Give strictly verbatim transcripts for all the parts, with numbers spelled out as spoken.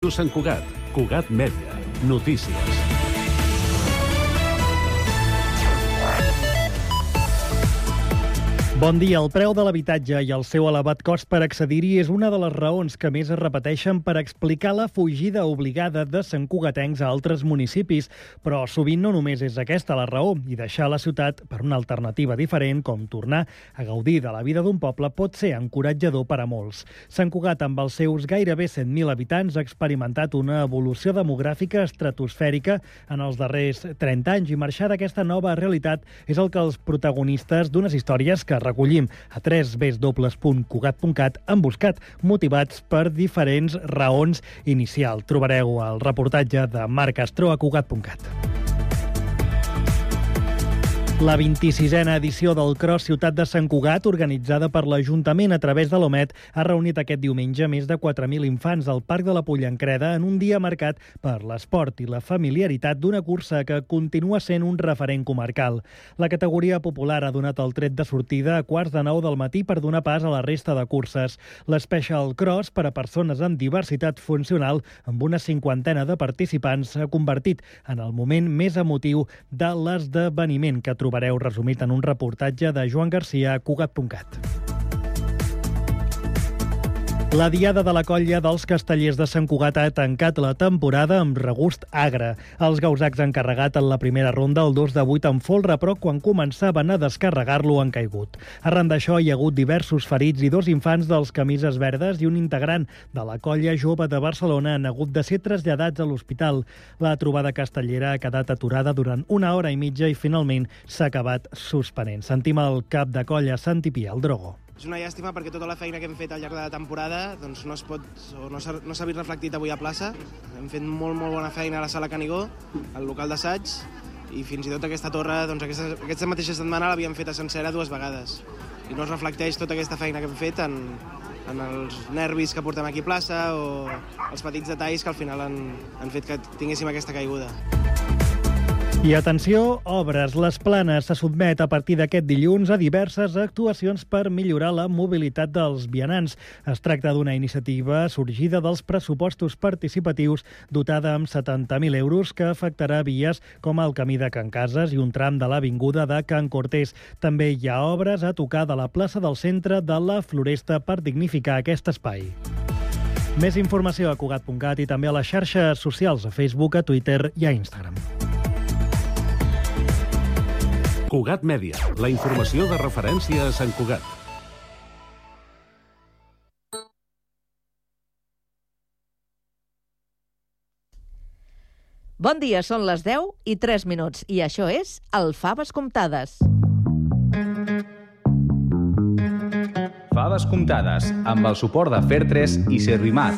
Sant Cugat, Cugat Mèdia, notícies. Bon dia. El preu de l'habitatge i el seu elevat cost per accedir-hi és una de les raons que més es repeteixen per explicar la fugida obligada de santcugatencs a altres municipis. Però sovint no només és aquesta la raó, i deixar la ciutat per una alternativa diferent, com tornar a gaudir de la vida d'un poble, pot ser encoratjador per a molts. Sant Cugat, amb els seus gairebé cent mil habitants, ha experimentat una evolució demogràfica estratosfèrica en els darrers trenta anys, i marxar d'aquesta nova realitat és el que els protagonistes d'unes històries que recollim a w w w punt cugat punt cat han buscat, motivats per diferents raons inicials. Trobareu el reportatge de Marc Castro a cugat punt cat. La vint-i-sisena edició del Cross Ciutat de Sant Cugat, organitzada per l'Ajuntament a través de l'Omet, ha reunit aquest diumenge més de quatre mil infants al Parc de la Pollancreda en un dia marcat per l'esport i la familiaritat d'una cursa que continua sent un referent comarcal. La categoria popular ha donat el tret de sortida a quarts de nou del matí per donar pas a la resta de curses. L'Special Cross, per a persones amb diversitat funcional, amb una cinquantena de participants, s'ha convertit en el moment més emotiu de l'esdeveniment, que trobareu resumit en un reportatge de Joan Garcia a cugat punt cat. La Diada de la Colla dels Castellers de Sant Cugat ha tancat la temporada amb regust agre. Els gausacs han carregat en la primera ronda el dos de vuit amb folre, però quan començaven a descarregar-lo han caigut. Arran d'això hi ha hagut diversos ferits i dos infants dels camises verdes i un integrant de la Colla Jove de Barcelona han hagut de ser traslladats a l'hospital. La trobada castellera ha quedat aturada durant una hora i mitja i finalment s'ha acabat suspenent. Sentim el cap de colla, Santi Pia, el Drogo. És una llàstima perquè tota la feina que hem fet al llarg de la temporada doncs no es pot, o no s'ha no s'ha vist reflectit avui a plaça. Hem fet molt, molt bona feina a la sala Canigó, al local d'assaig, i fins i tot aquesta torre, doncs aquesta, aquesta mateixa setmana l'havíem fet a sencera dues vegades. I no es reflecteix tota aquesta feina que hem fet en, en els nervis que portem aquí a plaça o els petits detalls que al final han, han fet que tinguéssim aquesta caiguda. I atenció, obres. Les Planes se sotmet a partir d'aquest dilluns a diverses actuacions per millorar la mobilitat dels vianants. Es tracta d'una iniciativa sorgida dels pressupostos participatius dotada amb setanta mil euros que afectarà vies com el camí de Can Cases i un tram de l'avinguda de Can Cortés. També hi ha obres a tocar de la plaça del centre de la Floresta per dignificar aquest espai. Més informació a cugat punt cat i també a les xarxes socials, a Facebook, a Twitter i a Instagram. Cugat Mèdia, la informació de referència a Sant Cugat. Bon dia, són les deu i tres minuts i això és el Faves Comptades. Faves Comptades, amb el suport de Fertres i Servimat.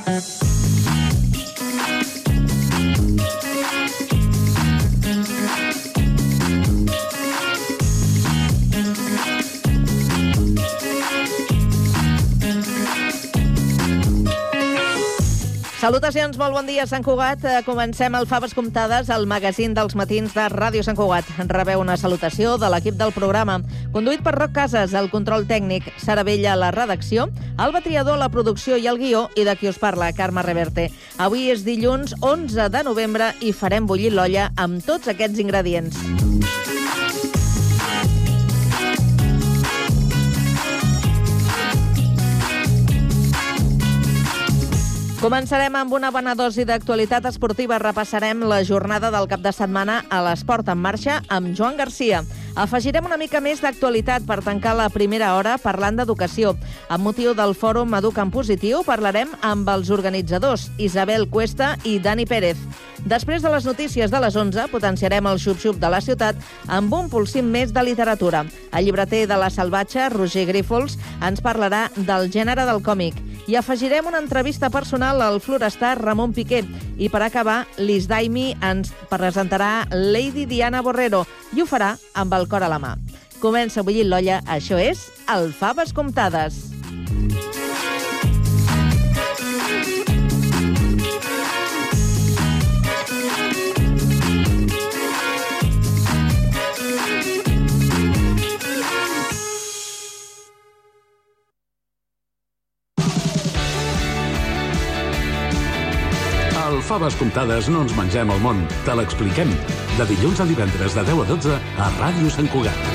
Salutacions, molt bon dia, Sant Cugat. Comencem el Faves Comptades, el magazín dels matins de Ràdio Sant Cugat. Rebeu una salutació de l'equip del programa, conduït per Roc Casas, el control tècnic, Sara Vella, la redacció, Alba Triador, la producció i el guió, i de qui us parla, Carme Reverte. Avui és dilluns onze de novembre i farem bullir l'olla amb tots aquests ingredients. Començarem amb una bona dosi d'actualitat esportiva. Repassarem la jornada del cap de setmana a l'Esport en Marxa amb Joan Garcia. Afegirem una mica més d'actualitat per tancar la primera hora parlant d'educació. Amb motiu del fòrum Educa en Positiu parlarem amb els organitzadors, Isabel Cuesta i Dani Pérez. Després de les notícies de les onze, potenciarem el xup-xup de la ciutat amb un polsim més de literatura. El llibreter de La Salvatge, Roger Grífols, ens parlarà del gènere del còmic. I afegirem una entrevista personal al florestar Ramon Piqué. I per acabar, Liz Daimi ens presentarà Lady Diana Borrero i ho farà amb el cor a la mà. Comença a bullir l'olla, això és el Faves Comptades. Al Faves Comptades no ens mengem el món, te l'expliquem. De dilluns a divendres de deu a dotze a Ràdio Sant Cugat.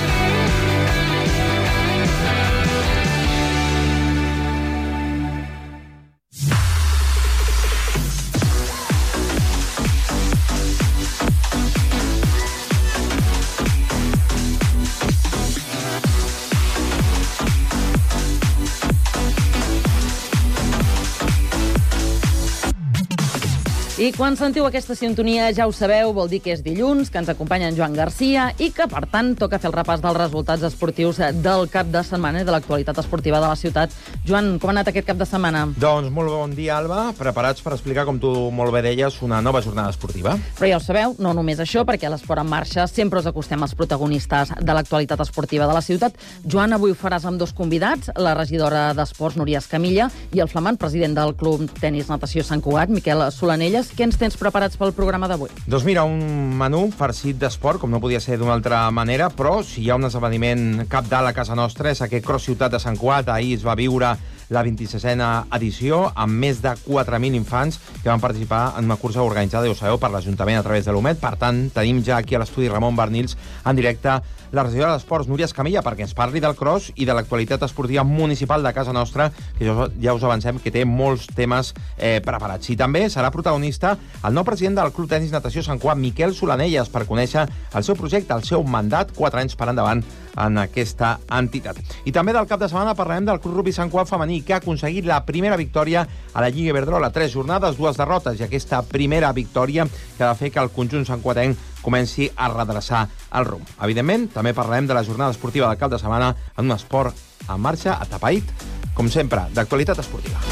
I quan sentiu aquesta sintonia, ja ho sabeu, vol dir que és dilluns, que ens acompanya en Joan Garcia i que, per tant, toca fer el repàs dels resultats esportius del cap de setmana i de l'actualitat esportiva de la ciutat. Joan, com ha anat aquest cap de setmana? Doncs molt bon dia, Alba. Preparats per explicar, com tu molt bé deies, una nova jornada esportiva. Però ja ho sabeu, no només això, perquè a l'Esport en Marxa sempre us acostem als protagonistes de l'actualitat esportiva de la ciutat. Joan, avui ho faràs amb dos convidats, la regidora d'Esports, Núria Escamilla, i el flamant president del Club Tenis Natació Sant Cugat, Miquel Solanelles. Què ens tens preparats pel programa d'avui? Doncs mira, un menú farcit d'esport, com no podia ser d'una altra manera, però si hi ha un esdeveniment cabdal a casa nostra és aquest Cross Ciutat de Sant Cugat. Ahir es va viure la vint-i-sisena edició, amb més de quatre mil infants que van participar en una cursa organitzada, ja ho sabeu, per l'Ajuntament a través de l'U M E D. Per tant, tenim ja aquí a l'estudi Ramon Bernils en directe la regidora d'Esports, Núria Escamilla, perquè ens parli del cross i de l'actualitat esportiva municipal de casa nostra, que ja us avancem que té molts temes eh, preparats. I també serà protagonista el nou president del Club Tenis Natació Sant Cugat, Miquel Solanelles, per conèixer el seu projecte, el seu mandat, quatre anys per endavant en aquesta entitat. I també del cap de setmana parlarem del Club Rugby Sant Cugat femení, que ha aconseguit la primera victòria a la Lliga Iberdrola. Tres jornades, dues derrotes, i aquesta primera victòria que ha de fer que el conjunt santcuatenc comenci a redreçar el rumb. Evidentment, també parlarem de la jornada esportiva del cap de setmana en un esport en marxa, atapeït, com sempre, d'actualitat esportiva.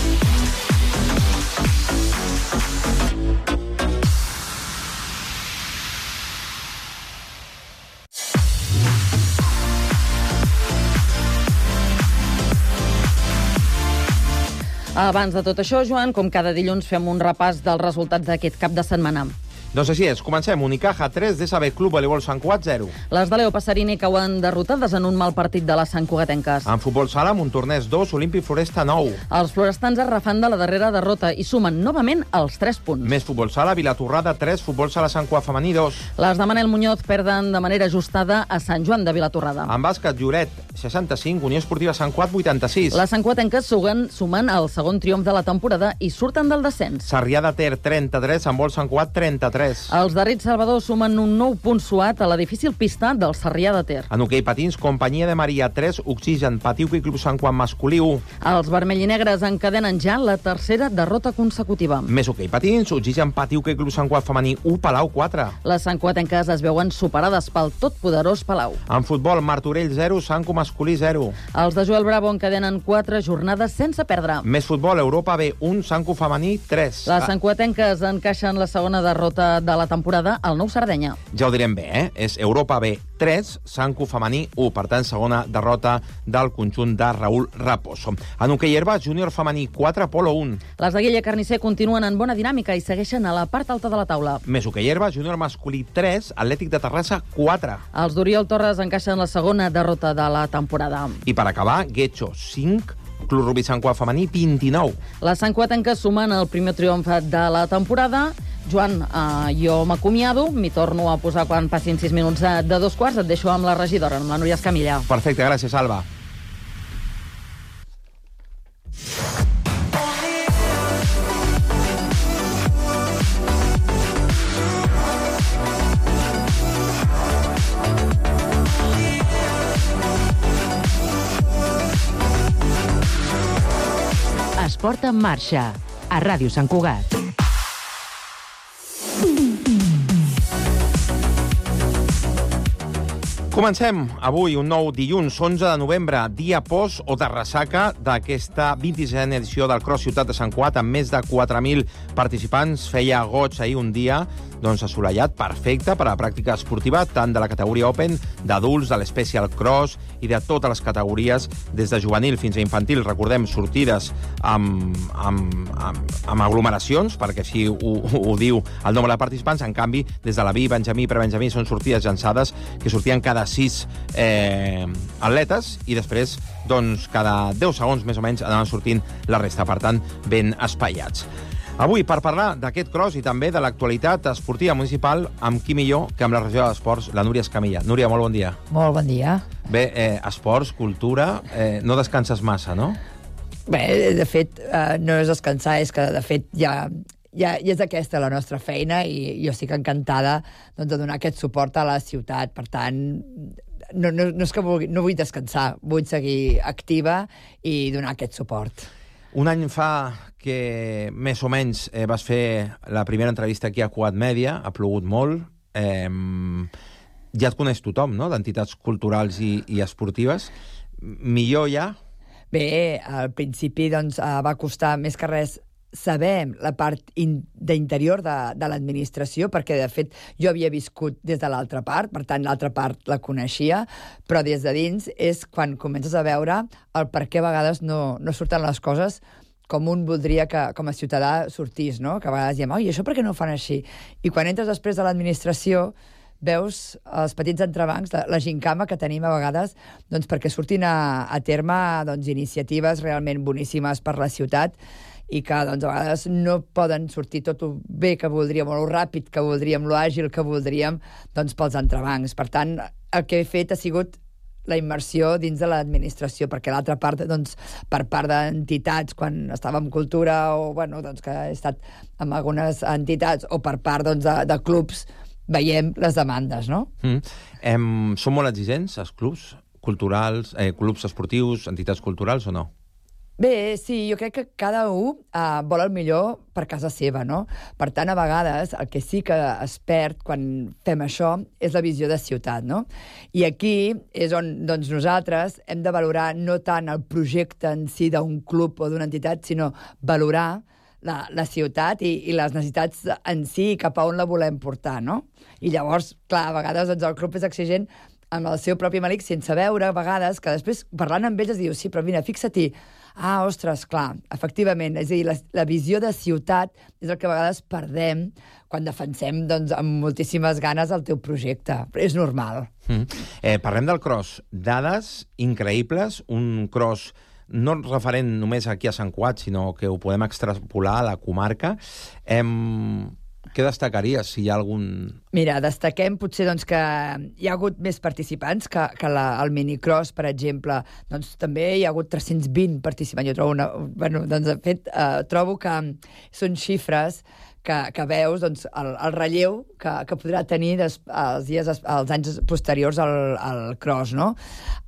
Abans de tot això, Joan, com cada dilluns fem un repàs dels resultats d'aquest cap de setmana. Doncs així és, comencem. Unicaja tres, D S B Club Voleibol Sant Cugat zero. Les de Leo Passarini cauen derrotades en un mal partit de les santcugatenques. En futbol sala, Montornès dos, Olímpic Floresta nou. Els florestans es refan de la darrera derrota i sumen novament els tres punts. Més futbol sala, Vilatorrada tres, Futbol sala Sant Cugat femení dos. Les de Manel Muñoz perden de manera ajustada a Sant Joan de Vilatorrada. En bàsquet, Lloret seixanta-cinc, Unió Esportiva Sant Cugat vuitanta-sis. Les santcugatenques sumen, sumen el segon triomf de la temporada i surten del descens. Sarrià de Ter trenta-tres, Handbol Sant Cugat trenta-tres. Els de Rit Salvador sumen un nou punt suat a la difícil pista del Sarrià de Ter. En hoquei patins, Companyia de Maria tres, Oxigen, Patiuca i Club Sant Cugat masculí u. Els vermell i negres encadenen ja la tercera derrota consecutiva. Més hoquei patins, Oxigen, Patiuca i Club Sant Cugat femení u, Palau quatre. Les santcugatenques es veuen superades pel totpoderós Palau. En futbol, Martorell zero, Sanco masculí zero. Els de Joel Bravo encadenen quatre jornades sense perdre. Més futbol, Europa B un, Sanco femení tres. Les santcugatenques encaixen la segona derrota de la temporada al Nou Sardenya. Ja ho direm bé, eh? És Europa B tres, Sanco femení u. Per tant, segona derrota del conjunt de Raúl Raposo. En hoquei herba, Júnior femení quatre, Polo un. Les de Guilla Carnisser continuen en bona dinàmica i segueixen a la part alta de la taula. Més hoquei herba, Júnior masculí tres, Atlètic de Terrassa quatre. Els d'Oriol Torres encaixen la segona derrota de la temporada. I per acabar, Guetxo cinc, Club Rugby Sant Cugat femení vint-i-nou. Les santcugatenques sumen el primer triomf de la temporada. Joan, eh, jo m'acomiado, m'hi torno a posar quan passin sis minuts de, de dos quarts. Et deixo amb la regidora, amb la Núria Escamilla. Perfecte, gràcies, Alba. Esport en marxa, a Ràdio Sant Cugat. Comencem avui un nou dilluns, onze de novembre, dia post o de ressaca d'aquesta vint-i-sisena edició del Cross Ciutat de Sant Cugat, amb més de quatre mil participants. Feia goig ahir un dia doncs, assolellat, perfecte per a la pràctica esportiva, tant de la categoria Open, d'adults, de l'Special Cross i de totes les categories, des de juvenil fins a infantil. Recordem, sortides amb, amb, amb, amb aglomeracions, perquè així ho, ho diu el nombre de participants. En canvi, des de la B, Benjamí i Prebenjamí són sortides llançades que sortien cada sis eh, atletes i després, doncs, cada deu segons més o menys anaven sortint la resta, per tant, ben espaiats. Avui, per parlar d'aquest cross i també de l'actualitat esportiva municipal, amb qui millor que amb la regió d'esports, la Núria Escamilla. Núria, molt bon dia. Molt bon dia. Bé, eh, esports, cultura, eh, no descanses massa, no? Bé, de fet, eh, no és descansar, és que, de fet, ja, ja, ja és aquesta la nostra feina i jo estic encantada doncs, de donar aquest suport a la ciutat. Per tant, no, no, no és que vulgui, no vull descansar, vull seguir activa i donar aquest suport. Un any fa que més o menys eh, vas fer la primera entrevista aquí a Quad Media, ha plogut molt, eh, ja et coneix tothom, no?, d'entitats culturals i, i esportives. Millor ja? Bé, al principi doncs, va costar més que res saber la part d'interior de, de l'administració, perquè, de fet, jo havia viscut des de l'altra part, per tant, l'altra part la coneixia, però des de dins és quan comences a veure el per què a vegades no, no surten les coses com un voldria que, com a ciutadà, sortís, no? Que a vegades diem, oi, això per què no ho fan així? I quan entres després de l'administració, veus els petits entrebancs, la, la gincama que tenim a vegades doncs, perquè surtin a, a terme doncs, iniciatives realment boníssimes per la ciutat i que doncs, a vegades no poden sortir tot el bé que voldríem, o el ràpid que voldríem, lo àgil que voldríem, doncs, pels entrebancs. Per tant, el que he fet ha sigut la immersió dins de l'administració, perquè l'altra part, doncs, per part d'entitats, quan estava en cultura, o bueno, doncs, que he estat en algunes entitats, o per part doncs, de, de clubs, veiem les demandes, no? Mm. Em, són molt exigents, els clubs culturals, eh, clubs esportius, entitats culturals, o no? Bé, sí, jo crec que cada un uh, vol el millor per casa seva, no? Per tant, a vegades, el que sí que es perd quan fem això és la visió de ciutat, no? I aquí és on doncs, nosaltres hem de valorar no tant el projecte en si d'un club o d'una entitat, sinó valorar La, la ciutat i, i les necessitats en si, cap a on la volem portar, no? I llavors, clar, a vegades doncs, el club és exigent amb el seu propi malic, sense veure, a vegades, que després, parlant amb ells, es diu, sí, però mira, fixa-t'hi, ah, ostres, clar, efectivament, és a dir, la, la visió de ciutat és el que a vegades perdem quan defensem, doncs, amb moltíssimes ganes el teu projecte. Però és normal. Mm. Eh, parlem del cross. Dades increïbles, un cross no referent només aquí a Sant Cugat, sinó que ho podem extrapolar a la comarca. Em... Què destacaries, si hi ha algun... Mira, destaquem potser doncs, que hi ha hagut més participants que, que la, el minicross, per exemple. Doncs també hi ha hagut tres-cents vint participants. Jo trobo una... Bueno, doncs, de fet, eh, trobo que són xifres que, que veus doncs, el, el relleu que, que podrà tenir des, els, dies, els anys posteriors al, al cross, no?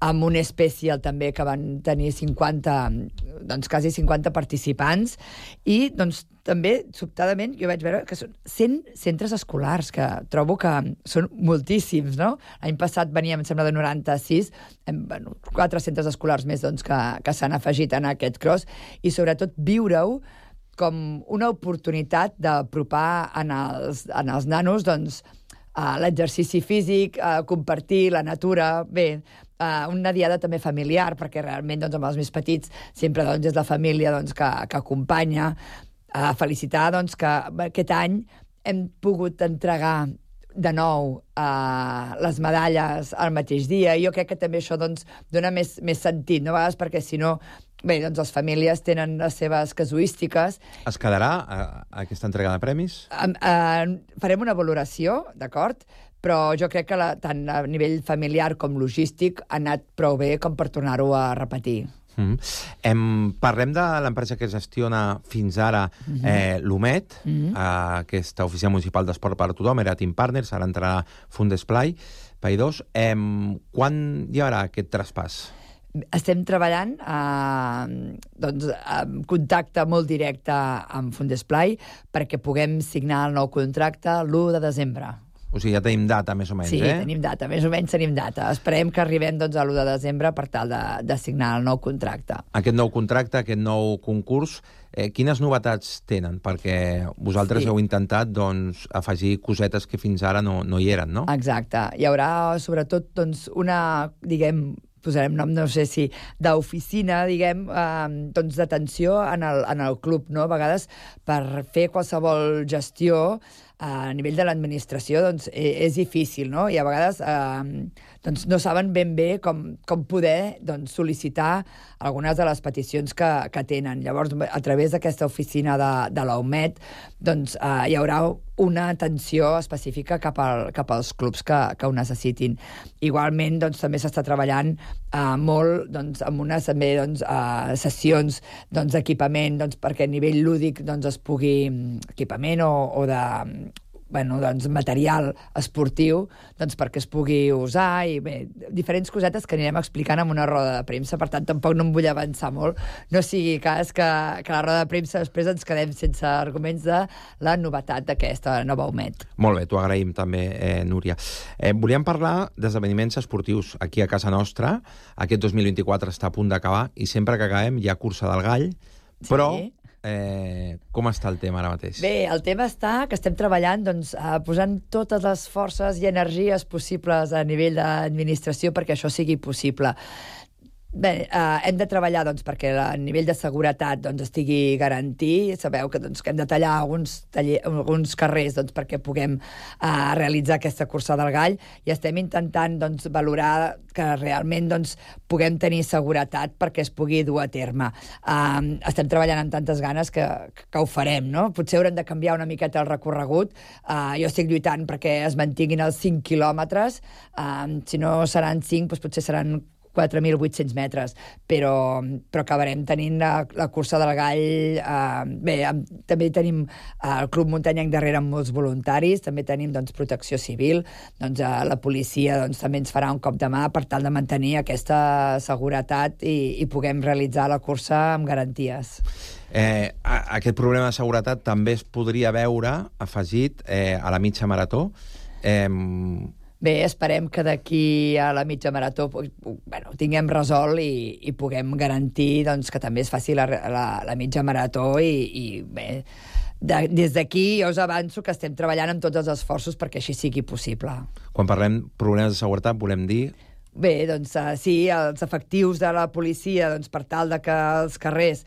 Amb un especial també que van tenir cinquanta, doncs quasi cinquanta participants i doncs també, sobtadament, jo vaig veure que són cent centres escolars, que trobo que són moltíssims, no? L'any passat veníem, em sembla, de noranta-sis, bueno, quatre centres escolars més doncs, que, que s'han afegit en aquest cross, i sobretot viure-ho com una oportunitat d'apropar en els, en els nanos doncs, a l'exercici físic, a compartir la natura, bé, Uh, una diada també familiar, perquè realment doncs, amb els més petits sempre doncs, és la família doncs, que, que acompanya. Uh, felicitar doncs, que aquest any hem pogut entregar de nou uh, les medalles al mateix dia, i jo crec que també això doncs, dona més, més sentit, no? A vegades perquè si no, bé, doncs les famílies tenen les seves casuístiques. Es quedarà uh, aquesta entrega de premis? Uh, uh, farem una valoració, d'acord? Però jo crec que la, tant a nivell familiar com logístic ha anat prou bé com per tornar-ho a repetir. Mm. Em, parlem de l'empresa que gestiona fins ara mm-hmm. eh, l'UMET, mm-hmm. eh, aquesta oficina municipal d'esport per a tothom, era Team Partners, ara entrarà Fundesplai, Paidós. Em, quan hi haurà aquest traspàs? Estem treballant eh, doncs, en contacte molt directe amb Fundesplai perquè puguem signar el nou contracte l'u de desembre. O sigui, ja tenim data, més o menys, sí, eh? Sí, tenim data, més o menys tenim data. Esperem que arribem doncs, a l'u de desembre per tal de, de signar el nou contracte. Aquest nou contracte, aquest nou concurs, eh, quines novetats tenen? Perquè vosaltres sí. heu intentat doncs, afegir cosetes que fins ara no, no hi eren, no? Exacte. Hi haurà, sobretot, doncs, una, diguem, posarem nom, no sé si, d'oficina, diguem, eh, doncs d'atenció en el, en el club, no? A vegades, per fer qualsevol gestió, a nivell de l'administració doncs, és difícil, no? I a vegades eh, doncs no saben ben bé com, com poder doncs, sol·licitar algunes de les peticions que, que tenen. Llavors, a través d'aquesta oficina de, de la U M E D, doncs, eh, hi haurà una atenció específica cap, al, cap als clubs que, que ho necessitin. Igualment, doncs, també s'està treballant eh, molt doncs, amb unes també, doncs, eh, sessions doncs, d'equipament doncs, perquè a nivell lúdic doncs, es pugui equipament o, o de bueno, doncs, material esportiu doncs, perquè es pugui usar i bé, diferents cosetes que anirem explicant en una roda de premsa, per tant tampoc no em vull avançar molt, no sigui cas que, que la roda de premsa després ens quedem sense arguments de la novetat d'aquesta nova U M E D. Molt bé, t'ho agraïm també, eh, Núria. Eh, volíem parlar d'esdeveniments esportius aquí a casa nostra. Aquest dos mil vint-i-quatre està a punt d'acabar i sempre que acabem hi ha cursa del gall, però... Sí. Eh, com està el tema ara mateix? Bé, el tema està que estem treballant doncs, eh, posant totes les forces i energies possibles a nivell d'administració perquè això sigui possible. Bé, eh, hem de treballar doncs, perquè el nivell de seguretat doncs, estigui garantit. Sabeu que, doncs, que hem de tallar alguns, taller, alguns carrers doncs, perquè puguem eh, realitzar aquesta cursa del gall i estem intentant doncs, valorar que realment doncs, puguem tenir seguretat perquè es pugui dur a terme. Eh, estem treballant amb tantes ganes que, que ho farem, no? Potser haurem de canviar una miqueta el recorregut. Eh, jo estic lluitant perquè es mantinguin els cinc quilòmetres. Eh, si no seran cinc, doncs potser seran quatre mil vuit-cents metres, però, però acabarem tenint la, la cursa del gall. Eh, bé, també tenim eh, el Club Muntanyenc darrere amb molts voluntaris, també tenim doncs, protecció civil, doncs, eh, la policia doncs, també ens farà un cop de mà per tal de mantenir aquesta seguretat i, i puguem realitzar la cursa amb garanties. Eh, aquest problema de seguretat també es podria veure afegit eh, a la mitja marató. Eh, Bé, esperem que d'aquí a la mitja marató bueno, tinguem resolt i, i puguem garantir doncs, que també es faci la, la, la mitja marató i, i bé, de, des d'aquí jo us avanço que estem treballant amb tots els esforços perquè així sigui possible. Quan parlem problemes de seguretat volem dir... Bé, doncs uh, sí, els efectius de la policia doncs, per tal de que els carrers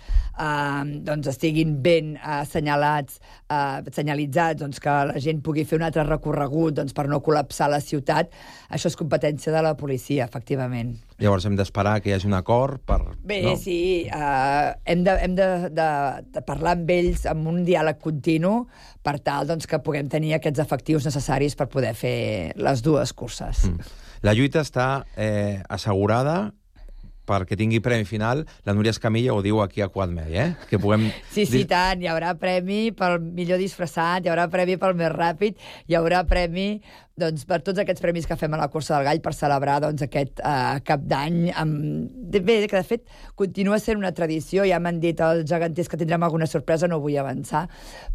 uh, doncs, estiguin ben uh, assenyalats, uh, senyalitzats, doncs, que la gent pugui fer un altre recorregut doncs, per no col·lapsar la ciutat, això és competència de la policia, efectivament. Llavors hem d'esperar que hi hagi un acord per... Bé, no? sí, uh, hem, de, hem de, de, de parlar amb ells amb un diàleg continu per tal doncs, que puguem tenir aquests efectius necessaris per poder fer les dues curses. Mm. La lluita està eh, assegurada perquè tingui premi final. La Núria Escamilla ho diu aquí a Quadmedi, eh? Que puguem... Sí, sí, tant. Hi haurà premi pel millor disfressat, hi haurà premi pel més ràpid, hi haurà premi doncs, per tots aquests premis que fem a la cursa del gall per celebrar doncs, aquest uh, cap d'any. Amb... Bé, que de fet continua sent una tradició, ja m'han dit els geganters que tindrem alguna sorpresa, no vull avançar,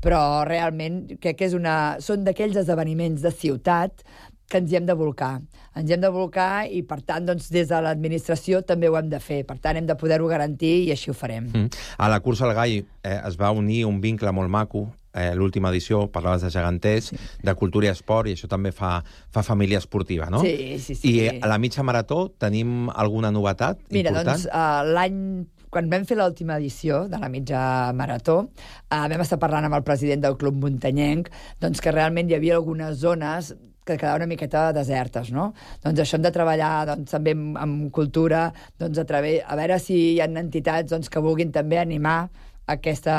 però realment crec que és una... són d'aquells esdeveniments de ciutat que ens hi hem de volcar. Ens hi hem de volcar i, per tant, doncs, des de l'administració també ho hem de fer. Per tant, hem de poder-ho garantir i així ho farem. Mm. A la cursa al gall eh, es va unir un vincle molt maco. Eh, l'última edició parlaves de geganters, sí. de cultura i esport, i això també fa, fa família esportiva, no? Sí, sí, sí. I a la mitja marató tenim alguna novetat Mira, important? Mira, doncs, uh, l'any... Quan vam fer l'última edició de la mitja marató, uh, vam estar parlant amb el president del Club Muntanyenc, doncs que realment hi havia algunes zones que quedaven una miqueta desertes, no? Doncs això hem de treballar doncs, també amb, amb cultura, doncs, a, través, a veure si hi ha entitats doncs, que vulguin també animar aquest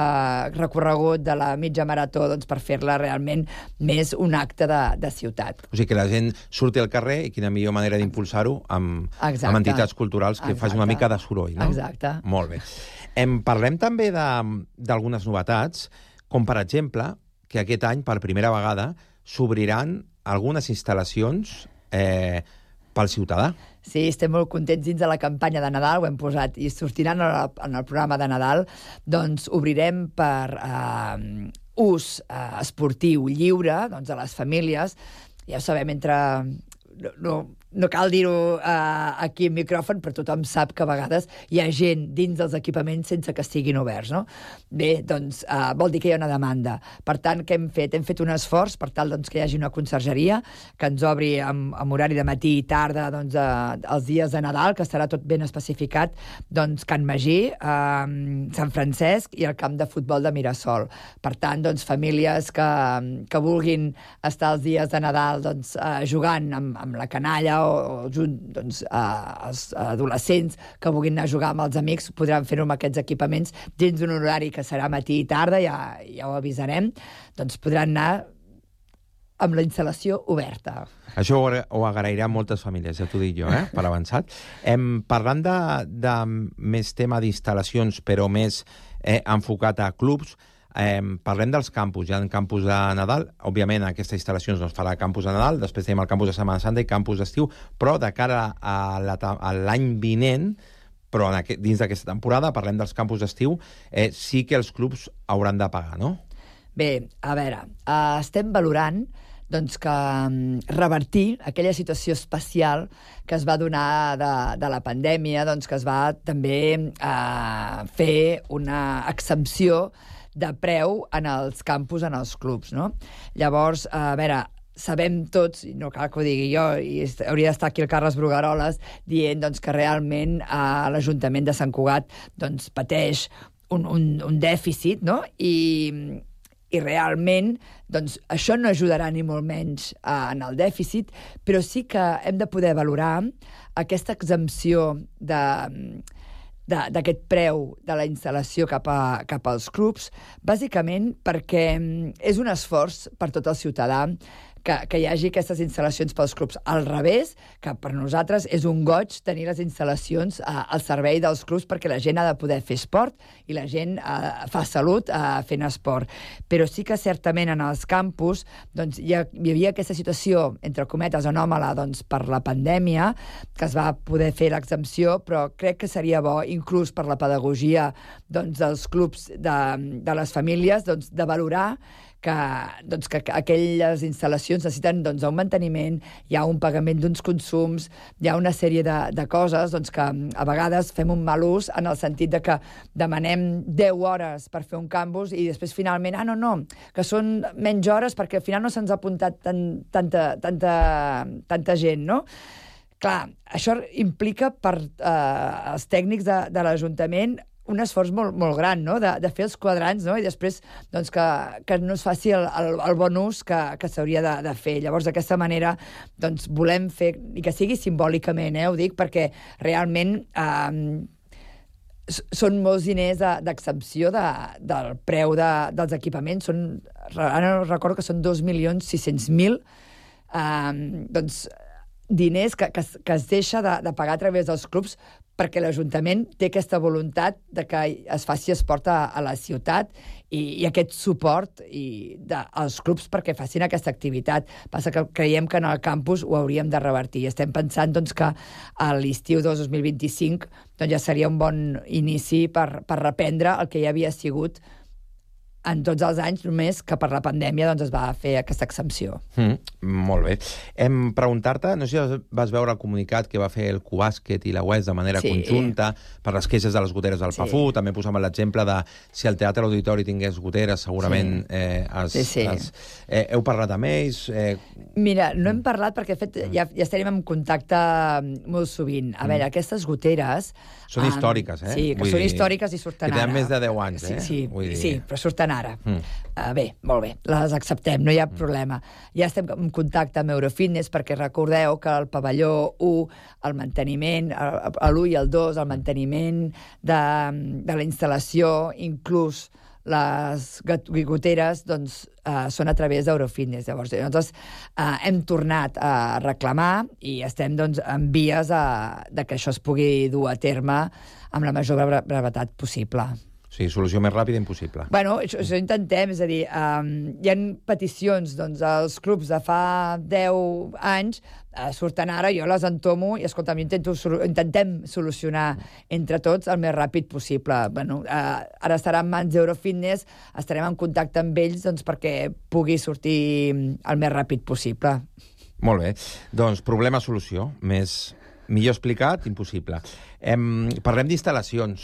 recorregut de la mitja marató doncs, per fer-la realment més un acte de, de ciutat. O sigui, que la gent surti al carrer i quina millor manera d'impulsar-ho amb, amb entitats culturals que Exacte. faci una mica de soroll, no? Exacte. Molt bé. Em parlem també d'algunes novetats, com per exemple que aquest any, per primera vegada, s'obriran algunes instal·lacions eh, pel ciutadà. Sí, estem molt contents dins de la campanya de Nadal, ho hem posat, i sortiran en el, en el programa de Nadal, doncs obrirem per eh, ús eh, esportiu lliure doncs, a les famílies. Ja ho sabem, entre... No, no cal dir-ho uh, aquí en micròfon, però tothom sap que a vegades hi ha gent dins dels equipaments sense que estiguin oberts, no? Bé, doncs uh, vol dir que hi ha una demanda. Per tant, què hem fet? Hem fet un esforç per tal doncs, que hi hagi una consergeria que ens obri amb, amb horari de matí i tarda doncs, uh, els dies de Nadal, que estarà tot ben especificat, doncs, Can Magí, uh, Sant Francesc i el camp de futbol de Mirasol. Per tant, doncs, famílies que, que vulguin estar els dies de Nadal doncs, uh, jugant amb, amb la canalla o, o junt, doncs, uh, els adolescents que vulguin anar a jugar amb els amics podran fer-ho amb aquests equipaments dins d'un horari que serà matí i tarda, ja, ja ho avisarem, doncs podran anar amb la instal·lació oberta. Això ho, ho agrairan moltes famílies, ja t'ho dic jo, eh? Per avançat. Em, parlant de, de més tema d'instal·lacions, però més eh, enfocat a clubs, Eh, parlem dels campus. Hi ha campus de Nadal, òbviament aquesta instal·lació no es farà campus de Nadal, després tenim el campus de Setmana Santa i campus d'estiu, però de cara a la, a l'any vinent, però en aquest, dins d'aquesta temporada, parlem dels campus d'estiu, eh, sí que els clubs hauran de pagar, no? Bé, a veure, eh, estem valorant doncs que revertir aquella situació especial que es va donar de, de la pandèmia, doncs que es va també eh, fer una exempció de preu en els campus, en els clubs, no? Llavors, a veure, sabem tots, i no cal que ho digui jo, i hauria d'estar aquí el Carles Brugueroles dient doncs, que realment eh, l'Ajuntament de Sant Cugat doncs, pateix un, un, un dèficit, no? I, i realment doncs, això no ajudarà ni molt menys eh, en el dèficit, però sí que hem de poder valorar aquesta exempció de... d'aquest preu de la instal·lació cap, a, cap als clubs, bàsicament perquè és un esforç per tot el ciutadà que, que hi hagi aquestes instal·lacions pels clubs. Al revés, que per nosaltres és un goig tenir les instal·lacions eh, al servei dels clubs perquè la gent ha de poder fer esport i la gent eh, fa salut eh, fent esport. Però sí que certament en els campus doncs, hi, ha, hi havia aquesta situació, entre cometes, anòmala doncs, per la pandèmia, que es va poder fer l'exempció, però crec que seria bo, inclús per la pedagogia doncs, dels clubs de, de les famílies, doncs, de valorar que, doncs, que aquelles instal·lacions necessiten doncs, un manteniment, hi ha un pagament d'uns consums, hi ha una sèrie de, de coses doncs, que a vegades fem un mal ús en el sentit de que demanem deu hores per fer un campus i després finalment, ah, no, no, que són menys hores perquè al final no se'ns ha apuntat tan, tanta, tanta, tanta gent, no? Clar, això implica per eh, els tècnics de, de l'Ajuntament un esforç molt, molt gran, no?, de, de fer els quadrants, no?, i després doncs, que, que no es faci el, el, el bon ús que, que s'hauria de, de fer. Llavors, d'aquesta manera, doncs, volem fer, i que sigui simbòlicament, eh, ho dic, perquè realment eh, són molts diners d'exempció de, del preu de, dels equipaments. Són, ara no recordo que són dos milions sis-cents mil eh, doncs, diners que, que, que es deixa de, de pagar a través dels clubs perquè l'Ajuntament té aquesta voluntat de que es faci esport a, a la ciutat i, i aquest suport i de, als clubs perquè facin aquesta activitat. Passa que creiem que en el campus ho hauríem de revertir. Estem pensant doncs, que a l'estiu de dos mil vint-i-cinc doncs, ja seria un bon inici per, per reprendre el que ja havia sigut en tots els anys, només que per la pandèmia doncs, es va fer aquesta exempció. Mm, molt bé. Hem preguntar-te, no sé si vas veure el comunicat que va fer el Cubàsquet i la U E S de manera sí. conjunta per les queixes de les goteres del sí. Pafú. També posàvem l'exemple de si el Teatre Auditori tingués goteres, segurament sí. eh, es, sí, sí. Es, eh, heu parlat amb ells? Eh... Mira, no hem parlat perquè de fet, ja, ja estarem en contacte molt sovint. A mm. veure, aquestes goteres... Són històriques, eh? Sí, que Vull són dir, històriques i surten ara. Que tenen més de deu anys, eh? Sí, sí, Vull dir... sí, però surten ara. Mm. Uh, bé, molt bé, les acceptem, no hi ha mm. problema. Ja estem en contacte amb Eurofitness perquè recordeu que el pavelló u, el manteniment, l'u i el dos, el manteniment de, de la instal·lació, inclús les goteres, doncs, uh, són a través d'Eurofitness. Llavors, nosaltres uh, hem tornat a reclamar i estem, doncs, en vies a, de que això es pugui dur a terme amb la major brevetat possible. Sí, solució més ràpida impossible. Bueno, això, això intentem, és a dir, um, hi ha peticions, doncs, als clubs de fa deu anys, uh, surten ara, jo les entomo, i escolta, intento, intentem solucionar entre tots el més ràpid possible. Bueno, uh, ara estarà en mans d'Eurofitness, estarem en contacte amb ells doncs, perquè pugui sortir el més ràpid possible. Molt bé. Doncs problema-solució. Més... Millor explicat, impossible. Em, parlem d'instal·lacions.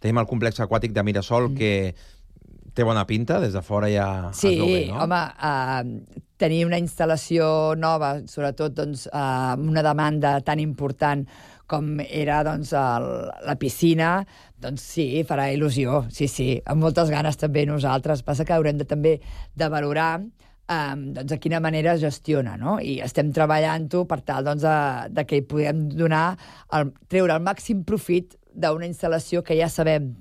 Tenim el complex aquàtic de Mirasol, mm. que té bona pinta, des de fora ja sí, es veu bé, no? Sí, home, uh, tenir una instal·lació nova, sobretot doncs, uh, una demanda tan important com era doncs, el, la piscina, doncs sí, farà il·lusió, sí, sí, amb moltes ganes també nosaltres. Passa que haurem de, també de valorar Um, doncs, de quina manera es gestiona, no? I estem treballant-ho per tal doncs, de, de que hi puguem donar el, treure el màxim profit d'una instal·lació que ja sabem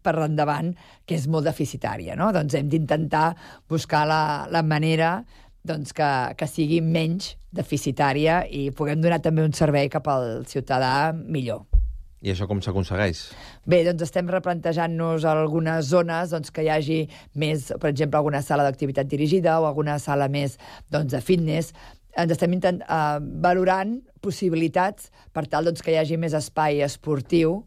per endavant que és molt deficitària, no? Doncs hem d'intentar buscar la, la manera doncs, que, que sigui menys deficitària i puguem donar també un servei cap al ciutadà millor. I això com s'aconsegueix? Bé, doncs estem replantejant-nos algunes zones doncs, que hi hagi més, per exemple, alguna sala d'activitat dirigida o alguna sala més doncs, de fitness. Ens estem intent, uh, valorant possibilitats per tal doncs, que hi hagi més espai esportiu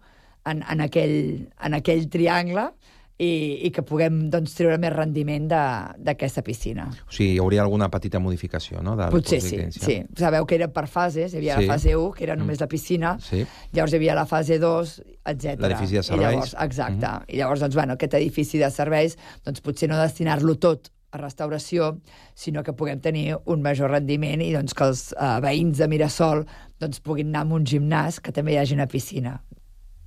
en, en, aquell, en aquell triangle i, i que puguem doncs, treure més rendiment d'aquesta piscina. O sigui, hi hauria alguna petita modificació, no? Potser sí, sí. Sabeu que era per fases, hi havia sí. la fase u, que era només la piscina, sí. llavors hi havia la fase dos, etcètera. L'edifici de serveis. I llavors, exacte. Mm-hmm. I llavors, doncs, bueno, aquest edifici de serveis, doncs potser no destinar-lo tot a restauració, sinó que puguem tenir un major rendiment i doncs, que els uh, veïns de Mirasol doncs, puguin anar a un gimnàs que també hi hagi una piscina.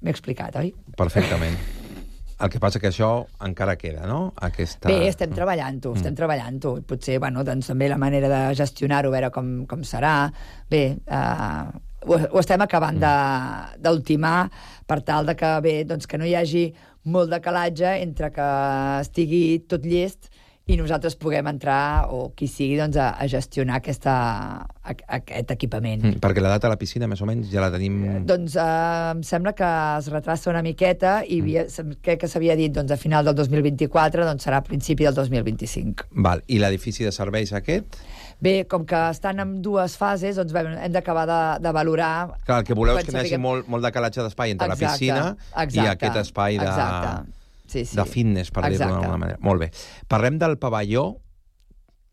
M'he explicat, oi? Perfectament. El que passa que això encara queda, no? Aquesta... Bé, estem treballant-ho, estem mm. treballant-ho. Potser, bueno, doncs també la manera de gestionar-ho, veure com, com serà. Bé, uh, ho, ho estem acabant mm. d'ultimar per tal de que, bé, doncs que no hi hagi molt de calatge entre que estigui tot llest i nosaltres puguem entrar, o qui sigui, doncs, a, a gestionar aquesta, a, aquest equipament. Mm, perquè la data de la piscina, més o menys, ja la tenim... Doncs eh, em sembla que es retrassa una miqueta i mm. crec que s'havia dit doncs, a final del dos mil vint-i-quatre, doncs serà a principi del dos mil vint-i-cinc. Val. I l'edifici de serveis aquest? Bé, com que estan en dues fases, doncs bé, hem d'acabar de, de valorar... Clar, el que voleu és que hi hagi molt, molt de calatge d'espai entre exacte, la piscina exacte, i aquest espai de... Exacte. Sí, sí. de fitness, per dir-ho d'alguna manera. Molt bé. Parlem del pavelló,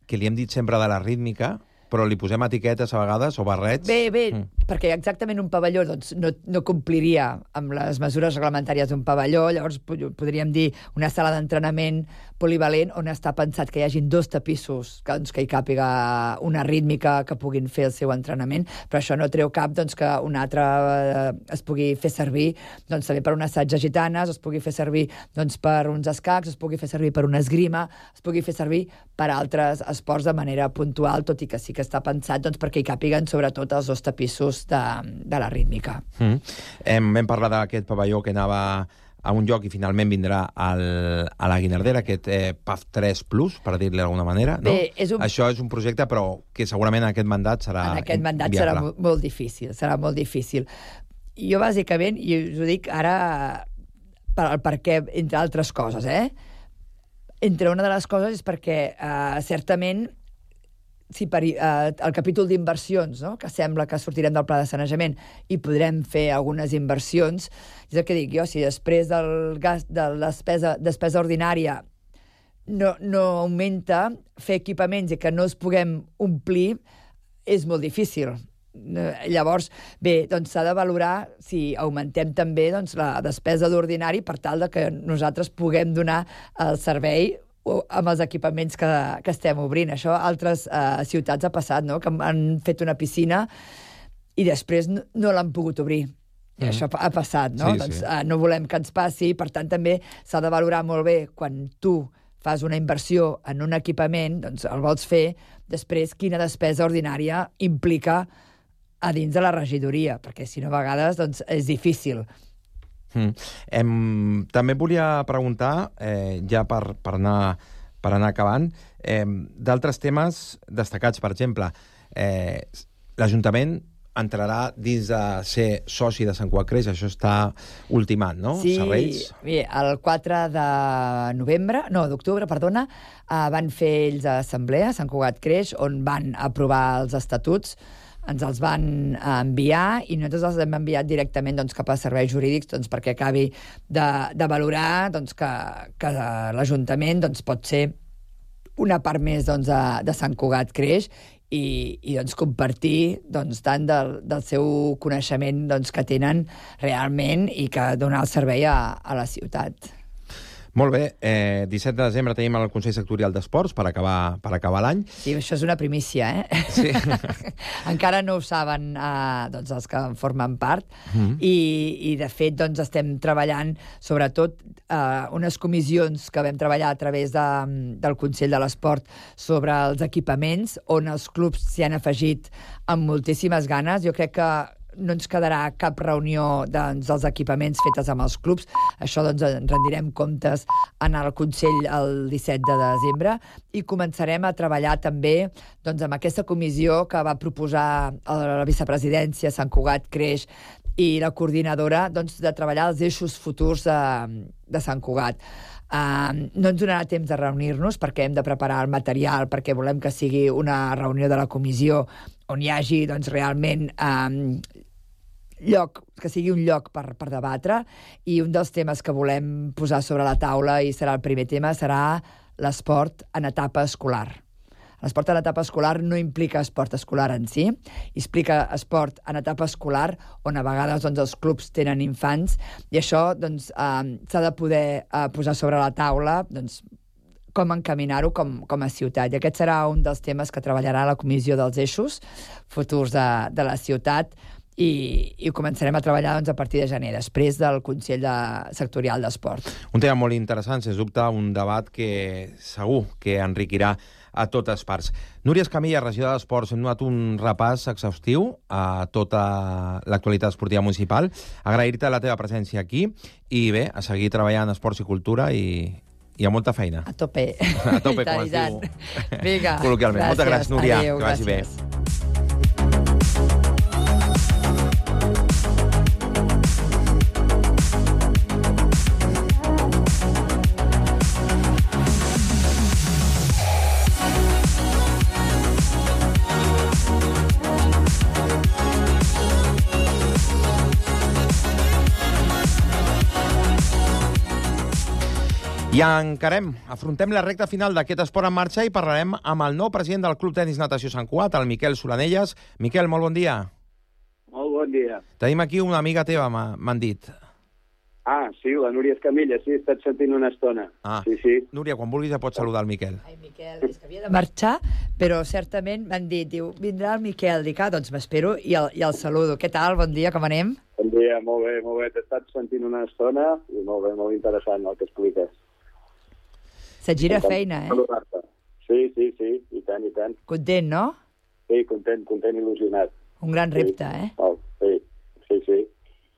que li hem dit sempre de la rítmica, però li posem etiquetes a vegades, o barrets. Bé, bé, mm. perquè exactament un pavelló doncs, no, no compliria amb les mesures reglamentàries d'un pavelló, llavors podríem dir una sala d'entrenament polivalent on està pensat que hi hagin dos tapissos que, doncs, que hi càpiga una rítmica que puguin fer el seu entrenament, però això no treu cap doncs, que un altre eh, es pugui fer servir doncs, també per un assaig de gitanes, es pugui fer servir doncs, per uns escacs, es pugui fer servir per una esgrima, es pugui fer servir per altres esports de manera puntual, tot i que sí que està pensat doncs, perquè hi càpiguen sobretot els dos tapissos de, de la rítmica. Mm. Hem, vam parlar d'aquest pavelló que anava a un lloc i finalment vindrà al, a la Guinardera, aquest eh, P A F tres plus, per dir-li d'alguna manera. No? Bé, és un... Això és un projecte, però que segurament en aquest mandat serà En aquest mandat viable. serà molt, molt difícil, serà molt difícil. Jo, bàsicament, i us ho dic ara per, per què, entre altres coses, eh? Entre una de les coses és perquè, eh, certament, si per, eh, el capítol d'inversions, no? Que sembla que sortirem del pla de sanejament i podrem fer algunes inversions, és el que dic jo, si després del gas, de la despesa, despesa ordinària no, no augmenta, fer equipaments i que no es puguem omplir és molt difícil. Llavors, bé, doncs s'ha de valorar si augmentem també doncs, la despesa d'ordinari per tal de que nosaltres puguem donar el servei amb els equipaments que, que estem obrint. Això a altres eh, ciutats ha passat, no? Que han fet una piscina i després no, no l'han pogut obrir. I mm. això ha passat, no? Sí, doncs sí. eh, no volem que ens passi, per tant també s'ha de valorar molt bé quan tu fas una inversió en un equipament, doncs el vols fer, després quina despesa ordinària implica a dins de la regidoria, perquè si no a vegades doncs, és difícil. Mm. Em, també volia preguntar, eh, ja per, per, anar, per anar acabant, eh, d'altres temes destacats. Per exemple, eh, l'Ajuntament entrarà dins de ser soci de Sant Cugat Creix, això està ultimant, no? Sí, Serveis. Bé, el quatre de novembre, no, d'octubre, perdona, eh, van fer ells assemblea a Sant Cugat Creix, on van aprovar els estatuts, ens els van enviar i nosaltres els hem enviat directament doncs, cap a serveis jurídics doncs, perquè acabi de, de valorar doncs, que, que l'Ajuntament doncs, pot ser una part més doncs, de, de Sant Cugat Creix i, i doncs, compartir doncs, tant del, del seu coneixement doncs, que tenen realment i que donar el servei a, a la ciutat. Molt bé, eh, disset de desembre tenim el Consell Sectorial d'Esports per acabar, per acabar l'any. Sí, això és una primícia, eh? Sí. Encara no ho saben eh, doncs els que en formen part Mm. i, i de fet doncs, estem treballant sobretot eh, unes comissions que vam treballar a través de, del Consell de l'Esport sobre els equipaments, on els clubs s'hi han afegit amb moltíssimes ganes. Jo crec que no ens quedarà cap reunió doncs, dels equipaments fetes amb els clubs. Això doncs, en rendirem comptes en el Consell el disset de desembre i començarem a treballar també doncs, amb aquesta comissió que va proposar la vicepresidència Sant Cugat Creix i la coordinadora doncs, de treballar els eixos futurs de, de Sant Cugat. Uh, no ens donarà temps de reunir-nos perquè hem de preparar el material, perquè volem que sigui una reunió de la comissió on hi hagi doncs, realment um, lloc, que sigui un lloc per, per debatre, i un dels temes que volem posar sobre la taula, i serà el primer tema, serà l'esport en etapa escolar. L'esport en etapa escolar no implica esport escolar en si, implica esport en etapa escolar on a vegades doncs, els clubs tenen infants, i això doncs, eh, s'ha de poder eh, posar sobre la taula doncs, com encaminar-ho com, com a ciutat. I aquest serà un dels temes que treballarà la Comissió dels Eixos Futurs de, de la ciutat, i, i començarem a treballar doncs, a partir de gener, després del Consell de, Sectorial d'Esport. Un tema molt interessant, sens dubte, un debat que segur que enriquirà a totes parts. Núria Escamilla, regidora d'Esports, hem donat un repàs exhaustiu a tota l'actualitat esportiva municipal. Agrair-te la teva presència aquí i bé, a seguir treballant en esports i cultura i, i amb molta feina. A tope. A tope, com es diu Vinga, col·loquialment. Moltes gràcies, Núria. Adéu, que vagi gràcies. bé. I encarem, afrontem la recta final d'aquest esport en marxa i parlarem amb el nou president del Club Tenis Natació Sant Cugat, el Miquel Solanelles. Miquel, molt bon dia. Molt bon dia. Tenim aquí una amiga teva, m'han dit. Ah, sí, la Núria Escamilla, sí, he estat sentint una estona. Ah, sí, sí. Núria, quan vulguis ja pots saludar el Miquel. Ai, Miquel, és que havia de marxar, però certament m'han dit, diu, vindrà el Miquel. Dic, ah, doncs m'espero i, el, i el saludo. Què tal? Bon dia, com anem? Bon dia, molt bé, molt bé. T'he estat sentint una estona i molt bé, molt interessant el que expliques. Se't gira feina, eh? Sí, sí, sí, i tant, i tant. Content, no? Sí, content, content, il·lusionat. Un gran repte, eh? Oh, sí, sí, sí.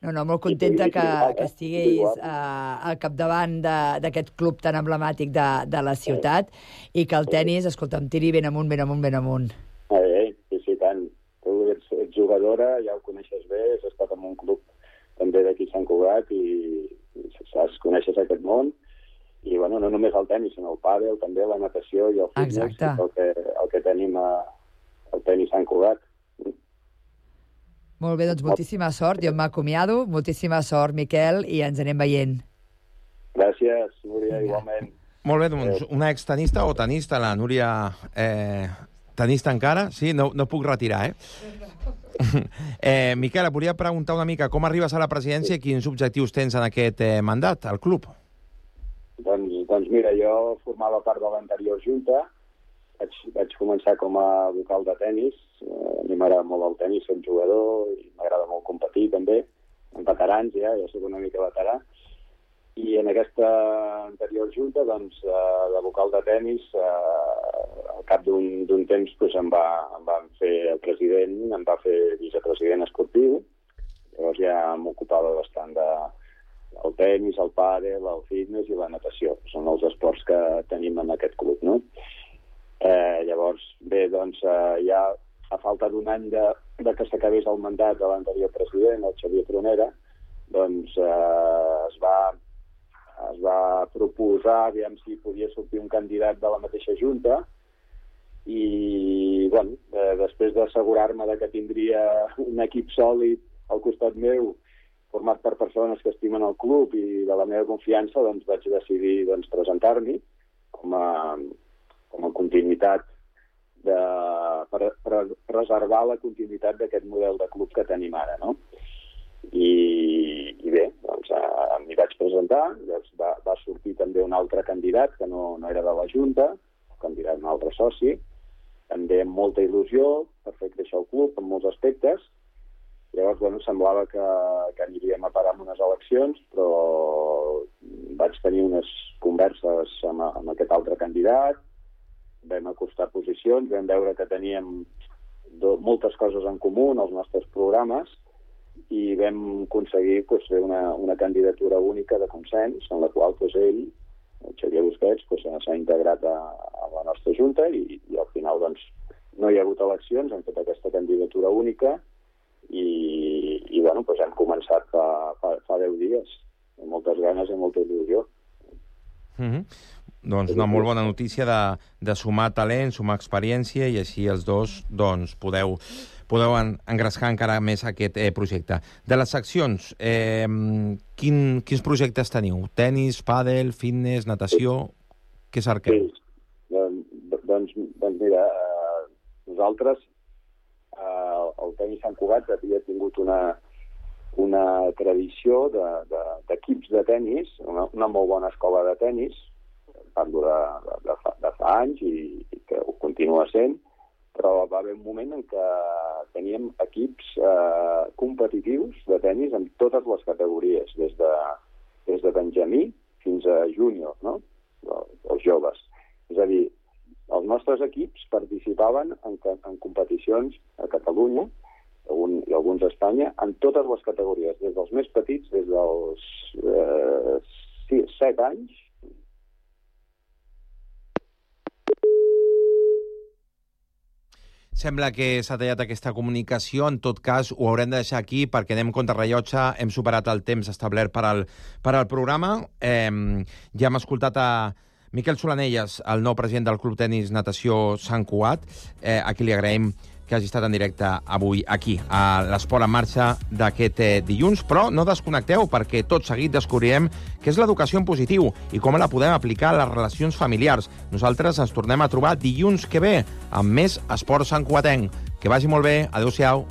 No, no, molt contenta que, que estiguis uh, al capdavant d'aquest club tan emblemàtic de, de la ciutat i que el tennis, escolta, em tiri ben amunt, ben amunt, ben amunt. Eh, sí, sí, tant. Tu ets, ets jugadora, ja ho coneixes bé, has estat en un club també d'aquí a Sant Cugat i, i saps, coneixes aquest món. I, bueno, no només el tenis, sinó el pàdel, també la natació i el fitness, el que, el que tenim a, al tenis Sant Cugat. Molt bé, doncs moltíssima sort. Jo m'acomiado. Moltíssima sort, Miquel, i ens anem veient. Gràcies, Núria, igualment. Molt bé, doncs, una extenista o tenista, la Núria... Eh, tenista encara? Sí, no, no puc retirar, eh? eh Miquel, et volia preguntar una mica com arribes a la presidència i quins objectius tens en aquest eh, mandat, al club? Doncs, doncs mira, jo formava part de l'anterior junta, vaig, vaig començar com a vocal de tennis, eh, a mi m'agrada molt el tennis, soc jugador i m'agrada molt competir també, amb veterans ja, ja soc una mica veterà, i en aquesta anterior junta, doncs, eh, de vocal de tennis, eh, al cap d'un temps doncs, em, va, em van fer el president, em va fer vicepresident esportiu, llavors ja m'ocupava bastant de el tenis, el pàdel, el fitness i la natació. Són els esports que tenim en aquest club, no? Eh, llavors, bé, doncs, eh, ja a falta d'un any de, de que s'acabés el mandat de l'anterior president, el Xavier Tronera, doncs eh, es, va, es va proposar, aviam si podia sortir un candidat de la mateixa junta, i, bueno, eh, després d'assegurar-me que tindria un equip sòlid al costat meu, format per persones que estimen el club i de la meva confiança, doncs vaig decidir doncs, presentar-m'hi com a, com a continuïtat de, per, per preservar la continuïtat d'aquest model de club que tenim ara, no? I, i bé, doncs eh, m'hi vaig presentar, doncs va, va sortir també un altre candidat que no, no era de la Junta, un candidat, un altre soci, també amb molta il·lusió per fer créixer el club en molts aspectes. Llavors, bueno, semblava que, que aniríem a parar amb unes eleccions, però vaig tenir unes converses amb, amb aquest altre candidat, vam acostar posicions, vam veure que teníem do, moltes coses en comú en els nostres programes, i vam aconseguir pues, fer una, una candidatura única de consens, en la qual pues, ell, el Xavier Busquets, pues, s'ha integrat a, a la nostra Junta i, i al final doncs, no hi ha hagut eleccions, hem fet aquesta candidatura única i, i bueno, pues, hem començat fa, fa, fa deu dies, amb moltes ganes i molta il·lusió. Mm-hmm. Doncs una molt bona notícia de, de sumar talent, sumar experiència i així els dos doncs, podeu, podeu engrescar encara més aquest eh, projecte. De les seccions, eh, quin, quins projectes teniu? Tenis, pàdel, fitness, natació? Què cerqueu? Sí. Doncs, doncs, doncs mira, eh, nosaltres eh, el tenis Sant Cugat havia tingut una, una tradició d'equips de, de, de tenis, una, una molt bona escola de tenis, parlo de, de, fa, de fa anys i, i que ho continua sent, però va haver un moment en què teníem equips eh, competitius de tenis en totes les categories, des de, des de benjamí fins a júnior, no? Els joves. És a dir, els nostres equips participaven en, en competicions a Catalunya un, i alguns a Espanya en totes les categories, des dels més petits, des dels eh, sis, set anys. Sembla que s'ha tallat aquesta comunicació. En tot cas, ho haurem de deixar aquí perquè anem contra rellotge. Hem superat el temps establert per al, per al programa. Eh, ja hem escoltat a Miquel Solanelles, el nou president del Club Tenis Natació Sant Cugat, eh, a qui li agraïm que hagi estat en directe avui aquí, a l'Esport en Marxa d'aquest eh, dilluns. Però no desconnecteu, perquè tot seguit descobrirem què és l'educació en positiu i com la podem aplicar a les relacions familiars. Nosaltres ens tornem a trobar dilluns que ve amb més Esport Santcugatenc. Que vagi molt bé. Adéu-siau.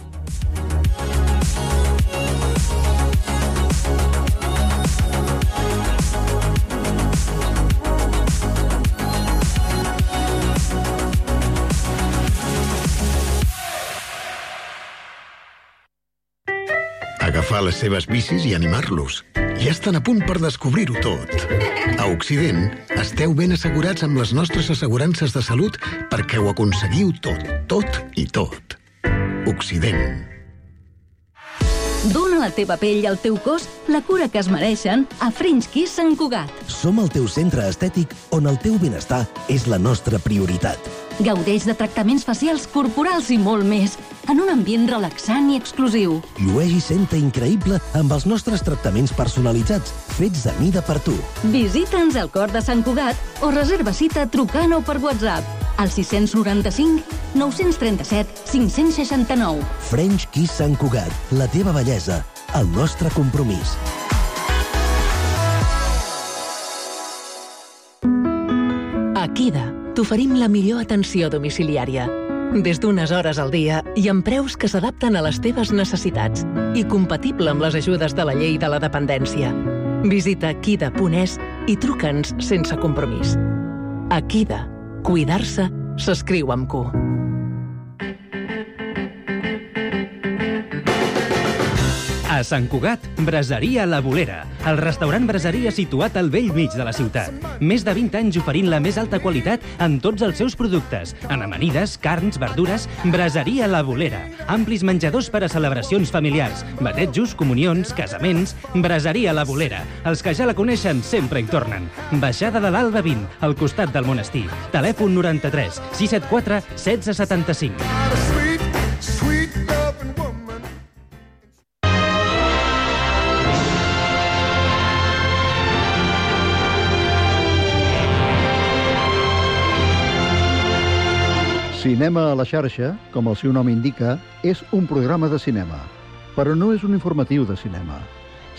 Agafar les seves bicis i animar-los. Ja estan a punt per descobrir-ho tot. A Occident, esteu ben assegurats amb les nostres assegurances de salut perquè ho aconseguiu tot, tot i tot. Occident. Dóna a la teva pell i al teu cos la cura que es mereixen a French Kiss Sant Cugat. Som el teu centre estètic on el teu benestar és la nostra prioritat. Gaudeix de tractaments facials, corporals i molt més, en un ambient relaxant i exclusiu. Llueix i senta increïble amb els nostres tractaments personalitzats, fets a mida per tu. Visita'ns al cor de Sant Cugat o reserva cita trucant o per WhatsApp al sis noranta-cinc nou trenta-set cinc seixanta-nou. French Kiss Sant Cugat, la teva bellesa, el nostre compromís. A Kida t'oferim la millor atenció domiciliària. Des d'unes hores al dia i amb preus que s'adapten a les teves necessitats i compatible amb les ajudes de la llei de la dependència. Visita kida punt es i truca'ns sense compromís. A Kida, cuidar-se s'escriu amb Q. A Sant Cugat, Braseria La Bolera, el restaurant braseria situat al vell mig de la ciutat. Més de vint anys oferint la més alta qualitat en tots els seus productes. En amanides, carns, verdures, Braseria La Bolera. Amplis menjadors per a celebracions familiars, batejos, comunions, casaments. Braseria La Bolera. Els que ja la coneixen sempre hi tornen. Baixada de l'Alba vint, al costat del monestir. Telèfon noranta-tres sis set quatre setze setanta-cinc. Cinema a la xarxa, com el seu nom indica, és un programa de cinema, però no és un informatiu de cinema.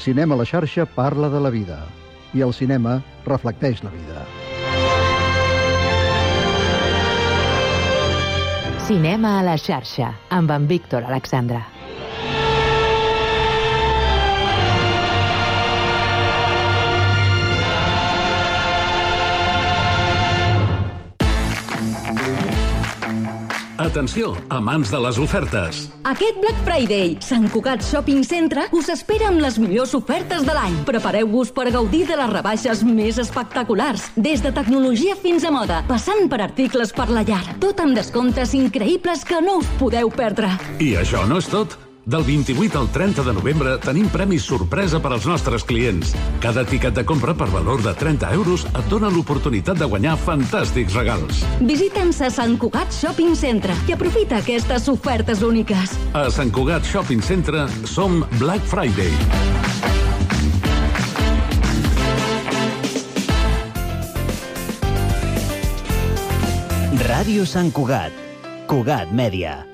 Cinema a la xarxa parla de la vida, i el cinema reflecteix la vida. Cinema a la xarxa, amb en Víctor Alexandre. Atenció, amants de les ofertes. Aquest Black Friday, Sant Cugat Shopping Centre us espera amb les millors ofertes de l'any. Prepareu-vos per gaudir de les rebaixes més espectaculars, des de tecnologia fins a moda, passant per articles per la llar. Tot amb descomptes increïbles que no us podeu perdre. I això no és tot. Del vint-i-vuit al trenta de novembre tenim premis sorpresa per als nostres clients. Cada tiquet de compra per valor de trenta euros et dona l'oportunitat de guanyar fantàstics regals. Visita'ns a Sant Cugat Shopping Centre i aprofita aquestes ofertes úniques. A Sant Cugat Shopping Centre som Black Friday. Ràdio Sant Cugat. Cugat Mèdia.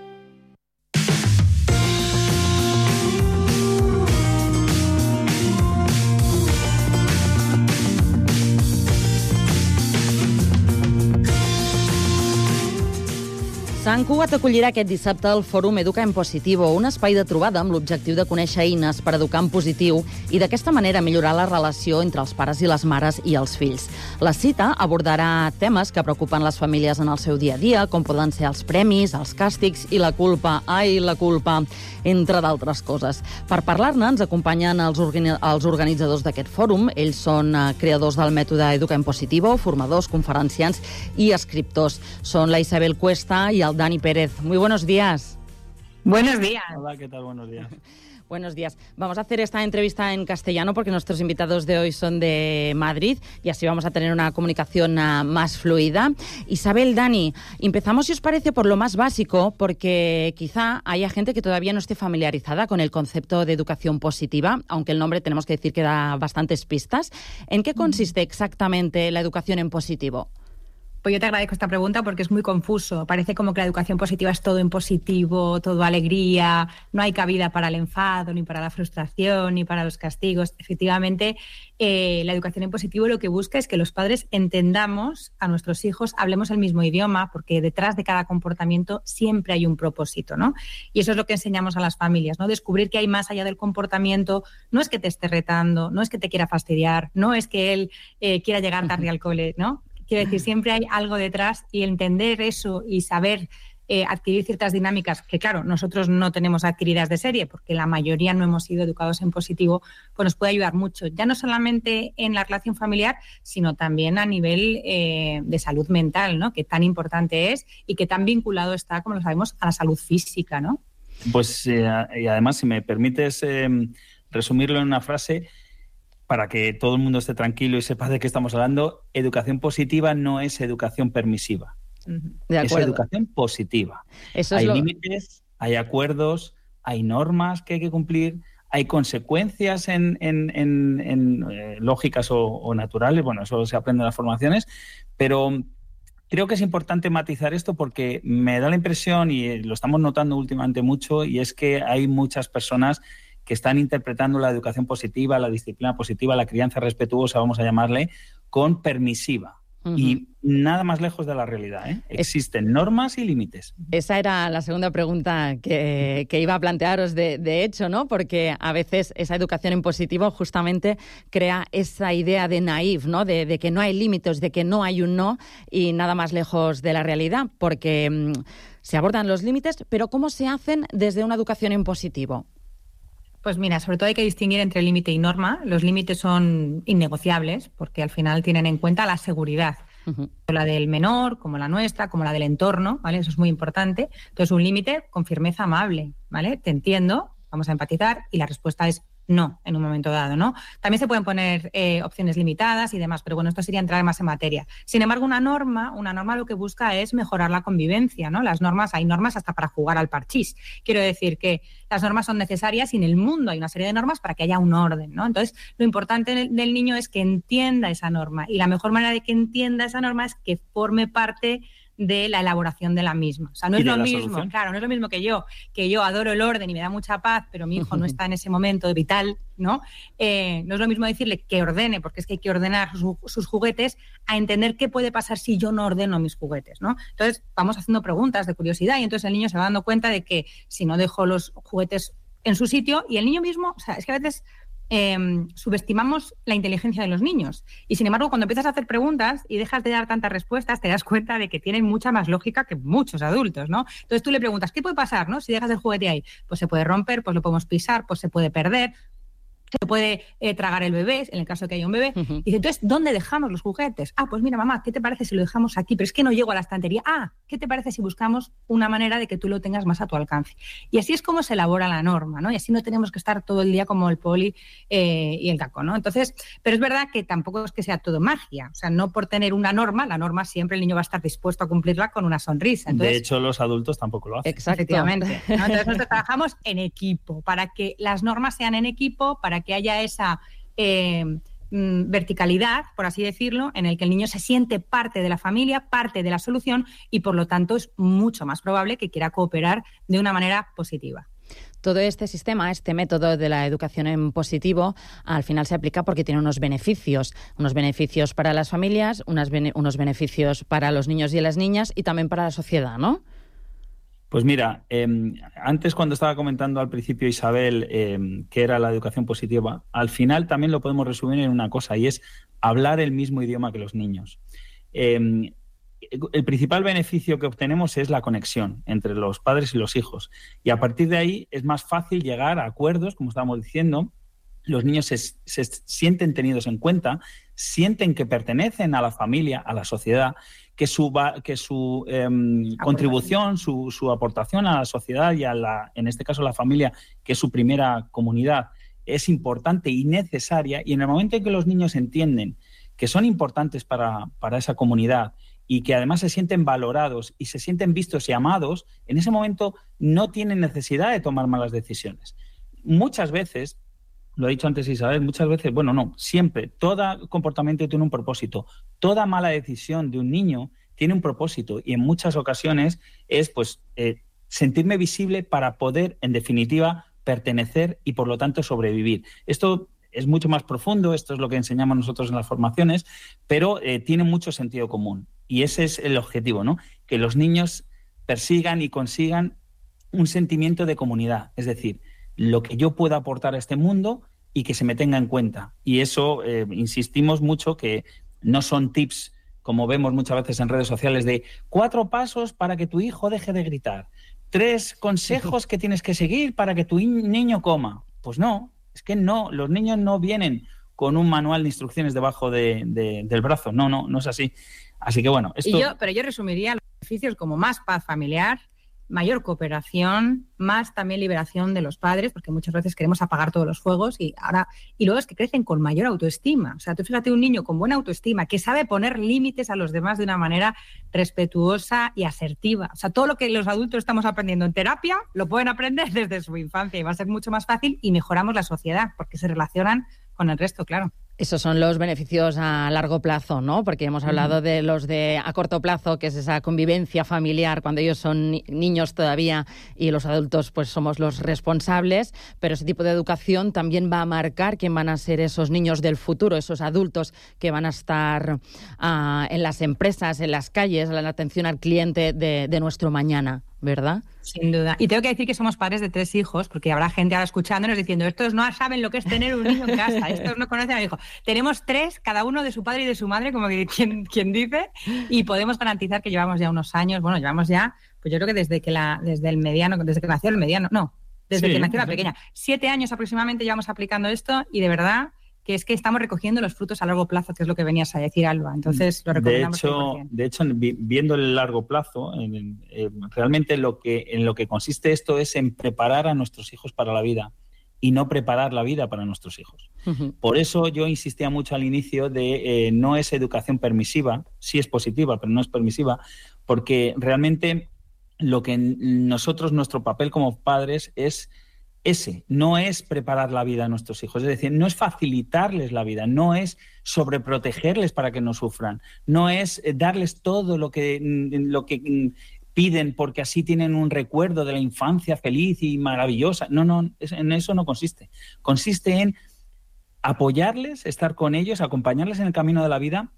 Sant Cugat acollirà aquest dissabte el Fòrum Educa en Positivo, un espai de trobada amb l'objectiu de conèixer eines per educar en positiu i d'aquesta manera millorar la relació entre els pares i les mares i els fills. La cita abordarà temes que preocupen les famílies en el seu dia a dia, com poden ser els premis, els càstigs i la culpa, ai, la culpa, entre d'altres coses. Per parlar-ne ens acompanyen els, organi els organitzadors d'aquest fòrum. Ells són eh, creadors del mètode Educa en Positivo, formadors, conferenciants i escriptors. Són la Isabel Cuesta i el Dani Pérez. Muy buenos días. Buenos días. Hola, ¿qué tal? Buenos días. Buenos días. Vamos a hacer esta entrevista en castellano porque nuestros invitados de hoy son de Madrid y así vamos a tener una comunicación uh, más fluida. Isabel, Dani, empezamos, si os parece, por lo más básico, porque quizá haya gente que todavía no esté familiarizada con el concepto de educación positiva, aunque el nombre tenemos que decir que da bastantes pistas. ¿En qué consiste exactamente la educación en positivo? Pues yo te agradezco esta pregunta porque es muy confuso. Parece como que la educación positiva es todo en positivo, todo alegría, no hay cabida para el enfado, ni para la frustración, ni para los castigos. Efectivamente, eh, la educación en positivo lo que busca es que los padres entendamos a nuestros hijos, hablemos el mismo idioma, porque detrás de cada comportamiento siempre hay un propósito, ¿no? Y eso es lo que enseñamos a las familias, ¿no? Descubrir que hay más allá del comportamiento. No es que te esté retando, no es que te quiera fastidiar, no es que él eh, quiera llegar tarde al cole, ¿no? Quiero decir, siempre hay algo detrás y entender eso y saber eh, adquirir ciertas dinámicas que, claro, nosotros no tenemos adquiridas de serie porque la mayoría no hemos sido educados en positivo, pues nos puede ayudar mucho, ya no solamente en la relación familiar, sino también a nivel eh, de salud mental, ¿no? Que tan importante es y que tan vinculado está, como lo sabemos, a la salud física, ¿no? Pues, eh, y además, si me permites eh, resumirlo en una frase, para que todo el mundo esté tranquilo y sepa de qué estamos hablando, educación positiva no es educación permisiva. De acuerdo. Es educación positiva. Eso es hay lo... límites, hay acuerdos, hay normas que hay que cumplir, hay consecuencias en, en, en, en eh, lógicas o, o naturales, bueno, eso se aprende en las formaciones, pero creo que es importante matizar esto porque me da la impresión, y lo estamos notando últimamente mucho, y es que hay muchas personas que están interpretando la educación positiva, la disciplina positiva, la crianza respetuosa, vamos a llamarle, con permisiva. Uh-huh. Y nada más lejos de la realidad, ¿eh? Existen normas y límites. Esa era la segunda pregunta que, que iba a plantearos, de, de hecho, ¿no? Porque a veces esa educación en positivo justamente crea esa idea de naif, ¿no? De, de que no hay límites, de que no hay un no, y nada más lejos de la realidad, porque mmm, se abordan los límites, pero ¿cómo se hacen desde una educación en positivo? Pues mira, sobre todo hay que distinguir entre límite y norma. Los límites son innegociables porque al final tienen en cuenta la seguridad. Uh-huh. La del menor, como la nuestra, como la del entorno, ¿vale? Eso es muy importante. Entonces, un límite con firmeza amable, ¿vale? Te entiendo, vamos a empatizar, y la respuesta es no, en un momento dado, ¿no? También se pueden poner eh, opciones limitadas y demás, pero bueno, esto sería entrar más en materia. Sin embargo, una norma, una norma lo que busca es mejorar la convivencia, ¿no? Las normas, hay normas hasta para jugar al parchís. Quiero decir que las normas son necesarias y en el mundo hay una serie de normas para que haya un orden, ¿no? Entonces, lo importante del niño es que entienda esa norma, y la mejor manera de que entienda esa norma es que forme parte de la elaboración de la misma. O sea, no es lo mismo, solución. Claro, no es lo mismo que yo, que yo adoro el orden y me da mucha paz, pero mi hijo no está en ese momento vital, ¿no? Eh, no es lo mismo decirle que ordene, porque es que hay que ordenar sus, sus juguetes, a entender qué puede pasar si yo no ordeno mis juguetes, ¿no? Entonces, vamos haciendo preguntas de curiosidad y entonces el niño se va dando cuenta de que si no dejo los juguetes en su sitio, y el niño mismo, o sea, es que a veces eh, subestimamos la inteligencia de los niños. Y sin embargo, cuando empiezas a hacer preguntas y dejas de dar tantas respuestas, te das cuenta de que tienen mucha más lógica que muchos adultos, ¿no? Entonces tú le preguntas, ¿qué puede pasar, no? Si dejas el juguete ahí, pues se puede romper, pues lo podemos pisar, pues se puede perder, se puede eh, tragar el bebé, en el caso de que haya un bebé. Uh-huh. Y dice, entonces, ¿dónde dejamos los juguetes? Ah, pues mira, mamá, ¿qué te parece si lo dejamos aquí? Pero es que no llego a la estantería. Ah, ¿qué te parece si buscamos una manera de que tú lo tengas más a tu alcance? Y así es como se elabora la norma, ¿no? Y así no tenemos que estar todo el día como el poli eh, y el caco, ¿no? Entonces, pero es verdad que tampoco es que sea todo magia. O sea, no por tener una norma, la norma siempre el niño va a estar dispuesto a cumplirla con una sonrisa. Entonces, de hecho, los adultos tampoco lo hacen. Efectivamente, ¿no? Entonces, nosotros trabajamos en equipo, para que las normas sean en equipo, para que haya esa Eh, verticalidad, por así decirlo, en el que el niño se siente parte de la familia, parte de la solución y por lo tanto es mucho más probable que quiera cooperar de una manera positiva. Todo este sistema, este método de la educación en positivo, al final se aplica porque tiene unos beneficios, unos beneficios para las familias, unas bene- unos beneficios para los niños y las niñas y también para la sociedad, ¿no? Pues mira, eh, antes cuando estaba comentando al principio Isabel eh, que era la educación positiva, al final también lo podemos resumir en una cosa y es hablar el mismo idioma que los niños. Eh, el principal beneficio que obtenemos es la conexión entre los padres y los hijos y a partir de ahí es más fácil llegar a acuerdos, como estábamos diciendo. Los niños se, se sienten tenidos en cuenta, sienten que pertenecen a la familia, a la sociedad, que su, que su eh, contribución, su, su aportación a la sociedad y a la, en este caso a la familia, que es su primera comunidad, es importante y necesaria. Y en el momento en que los niños entienden que son importantes para, para esa comunidad y que además se sienten valorados y se sienten vistos y amados, en ese momento no tienen necesidad de tomar malas decisiones. Muchas veces, lo ha dicho antes Isabel, muchas veces, bueno, no, siempre, todo comportamiento tiene un propósito. Toda mala decisión de un niño tiene un propósito y en muchas ocasiones es pues eh, sentirme visible para poder, en definitiva, pertenecer y por lo tanto sobrevivir. Esto es mucho más profundo, esto es lo que enseñamos nosotros en las formaciones, pero eh, tiene mucho sentido común y ese es el objetivo, ¿no? Que los niños persigan y consigan un sentimiento de comunidad, es decir, lo que yo pueda aportar a este mundo y que se me tenga en cuenta. Y eso, eh, insistimos mucho, que no son tips, como vemos muchas veces en redes sociales, de cuatro pasos para que tu hijo deje de gritar, tres consejos que tienes que seguir para que tu niño coma. Pues no, es que no, los niños no vienen con un manual de instrucciones debajo de, de, del brazo. No, no, no es así. Así que bueno, esto... Y yo, pero yo resumiría los beneficios como más paz familiar, mayor cooperación, más también liberación de los padres, porque muchas veces queremos apagar todos los fuegos y ahora y luego es que crecen con mayor autoestima. O sea, tú fíjate un niño con buena autoestima que sabe poner límites a los demás de una manera respetuosa y asertiva. O sea, todo lo que los adultos estamos aprendiendo en terapia lo pueden aprender desde su infancia y va a ser mucho más fácil y mejoramos la sociedad porque se relacionan con el resto, claro. Esos son los beneficios a largo plazo, ¿no? Porque hemos hablado de los de a corto plazo, que es esa convivencia familiar cuando ellos son ni- niños todavía y los adultos pues somos los responsables, pero ese tipo de educación también va a marcar quién van a ser esos niños del futuro, esos adultos que van a estar uh, en las empresas, en las calles, en la atención al cliente de, de nuestro mañana, ¿verdad? Sin duda. Y tengo que decir que somos padres de tres hijos, porque habrá gente ahora escuchándonos diciendo, estos no saben lo que es tener un niño en casa, estos no conocen a mi hijo. Tenemos tres, cada uno de su padre y de su madre, como que quien, quien dice, y podemos garantizar que llevamos ya unos años, bueno, llevamos ya, pues yo creo que desde que la, desde el mediano, desde que nació el mediano, no, desde sí, que nació la pequeña, siete años aproximadamente llevamos aplicando esto y de verdad que es que estamos recogiendo los frutos a largo plazo, que es lo que venías a decir, Alba. Entonces, lo recomendamos. De hecho, de hecho viendo el largo plazo, en, en, realmente lo que, en lo que consiste esto es en preparar a nuestros hijos para la vida y no preparar la vida para nuestros hijos. Uh-huh. Por eso yo insistía mucho al inicio de eh, no es educación permisiva, sí es positiva, pero no es permisiva, porque realmente lo que nosotros, nuestro papel como padres es ese, no es preparar la vida a nuestros hijos, es decir, no es facilitarles la vida, no es sobreprotegerles para que no sufran, no es darles todo lo que, lo que piden porque así tienen un recuerdo de la infancia feliz y maravillosa. No, no, en eso no consiste. Consiste en apoyarles, estar con ellos, acompañarles en el camino de la vida,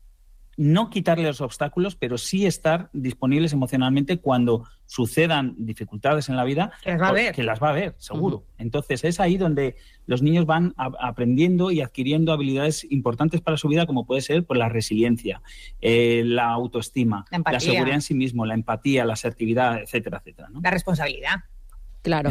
no quitarles los obstáculos, pero sí estar disponibles emocionalmente cuando sucedan dificultades en la vida, que las va a ver, que las va a ver, seguro. Uh-huh. Entonces es ahí donde los niños van a, aprendiendo y adquiriendo habilidades importantes para su vida, como puede ser pues, la resiliencia, eh, la autoestima, la, la seguridad en sí mismo, la empatía, la asertividad, etcétera, etcétera, ¿no? La responsabilidad. Claro.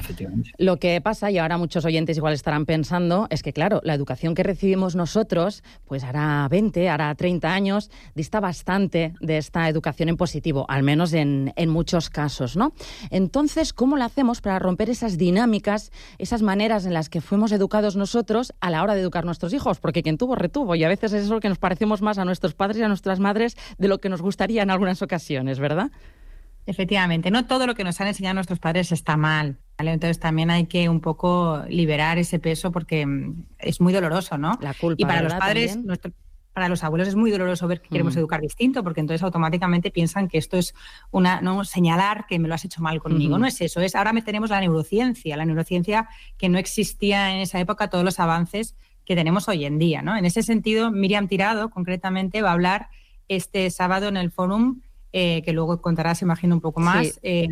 Lo que pasa, y ahora muchos oyentes igual estarán pensando, es que, claro, la educación que recibimos nosotros, pues hará veinte, hará treinta años, dista bastante de esta educación en positivo, al menos en, en muchos casos, ¿no? Entonces, ¿cómo lo hacemos para romper esas dinámicas, esas maneras en las que fuimos educados nosotros a la hora de educar a nuestros hijos? Porque quien tuvo, retuvo, y a veces es eso que nos parecemos más a nuestros padres y a nuestras madres de lo que nos gustaría en algunas ocasiones, ¿verdad? Efectivamente, no todo lo que nos han enseñado nuestros padres está mal, ¿vale? Entonces también hay que un poco liberar ese peso porque es muy doloroso, ¿no? La culpa, y para ¿verdad? los padres, nuestro, para los abuelos es muy doloroso ver que queremos mm. educar distinto, porque entonces automáticamente piensan que esto es una no señalar que me lo has hecho mal conmigo. Mm. No es eso, es ahora tenemos la neurociencia, la neurociencia que no existía en esa época, todos los avances que tenemos hoy en día, ¿no? En ese sentido, Miriam Tirado, concretamente, va a hablar este sábado en el Fórum, Eh, que luego contarás, imagino, un poco más, sí. eh,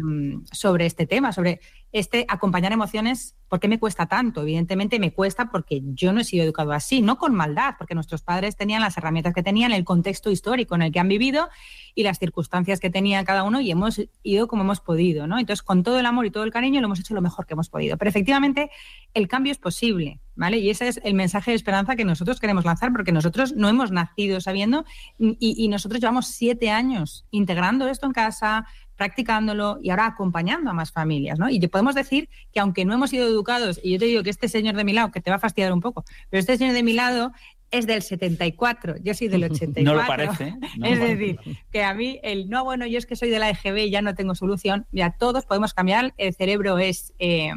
sobre este tema, sobre este acompañar emociones. ¿Por qué me cuesta tanto? Evidentemente me cuesta porque yo no he sido educado así, no con maldad, porque nuestros padres tenían las herramientas que tenían, el contexto histórico en el que han vivido y las circunstancias que tenía cada uno, y hemos ido como hemos podido, ¿no? Entonces, con todo el amor y todo el cariño, lo hemos hecho lo mejor que hemos podido. Pero efectivamente, el cambio es posible, ¿vale? Y ese es el mensaje de esperanza que nosotros queremos lanzar, porque nosotros no hemos nacido sabiendo y, y nosotros llevamos siete años integrando esto en casa, practicándolo y ahora acompañando a más familias, ¿no? Y podemos decir que aunque no hemos sido educados, y yo te digo que este señor de mi lado, que te va a fastidiar un poco, pero este señor de mi lado es del setenta y cuatro, yo soy del ochenta y cuatro. No lo parece. No es lo decir, parece. que a mí, el no, bueno, yo es que soy de la E G B y ya no tengo solución. Mira, todos podemos cambiar, el cerebro es... Eh,